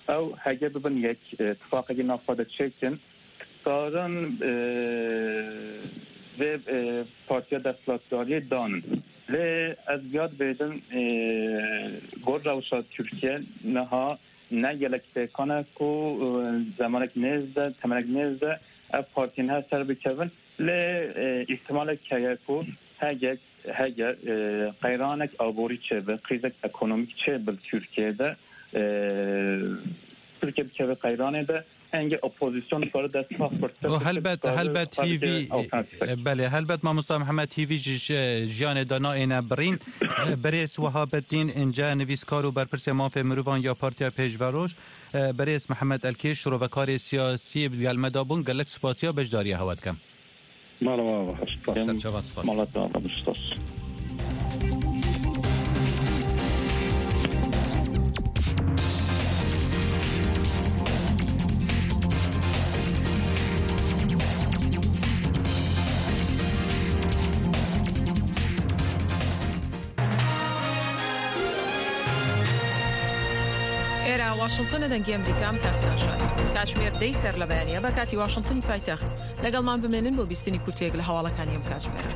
ew hege bibin yek, e, tifaqekî nav xwe de çêkin, dikarin, e, vê, e, partiya desthilatdariyê danin. Lê ez viya dibêjim, e, gor rewşa Tirkiye niha ne gelek pêkan e ku, e, zemanek nêz de, temenek nêz de ev partiyên her ser bikevin. Lê, e, îhtimalek heye ku hege, hege, e, qeyranek aborî çêbe, krîzek ekonomîk çêbe li Tirkiyeyê de, e, Tirkiye bikeve qeyranê de, henge opozîsyon dikare desthilat pirtir Û bikin, helbet, dikare helbet xwe bide hîvî, alternatîfek. e, belê, helbet mamosta Mihemed hîvî ji, ji, jiyanê de nayêne birîn. E, birêz Wehabetîn Înce, nivîskar û berpirsê mafê mirovan ya Partiya Pêşveroj, e, birêz Mihemed Elkêş, şirovekarê siyasî bi gel me de bûn. Gelek spasiya beşdariya hewe dikim. Mala we ava. Spas. Serçava spas. Mala te ava, spas. ئێرە واشنگتنە، دەنگی ئەمریکا، ئەم کاتیان شار. کاتژمێر دەی سەر لە بەیانیە بە کاتی واشنگتنی پایتەخت. لەگەڵمان بمێنن بۆ بیستنی کورتەیەک لە هەواڵەکانی ئەم کاتژمێرە.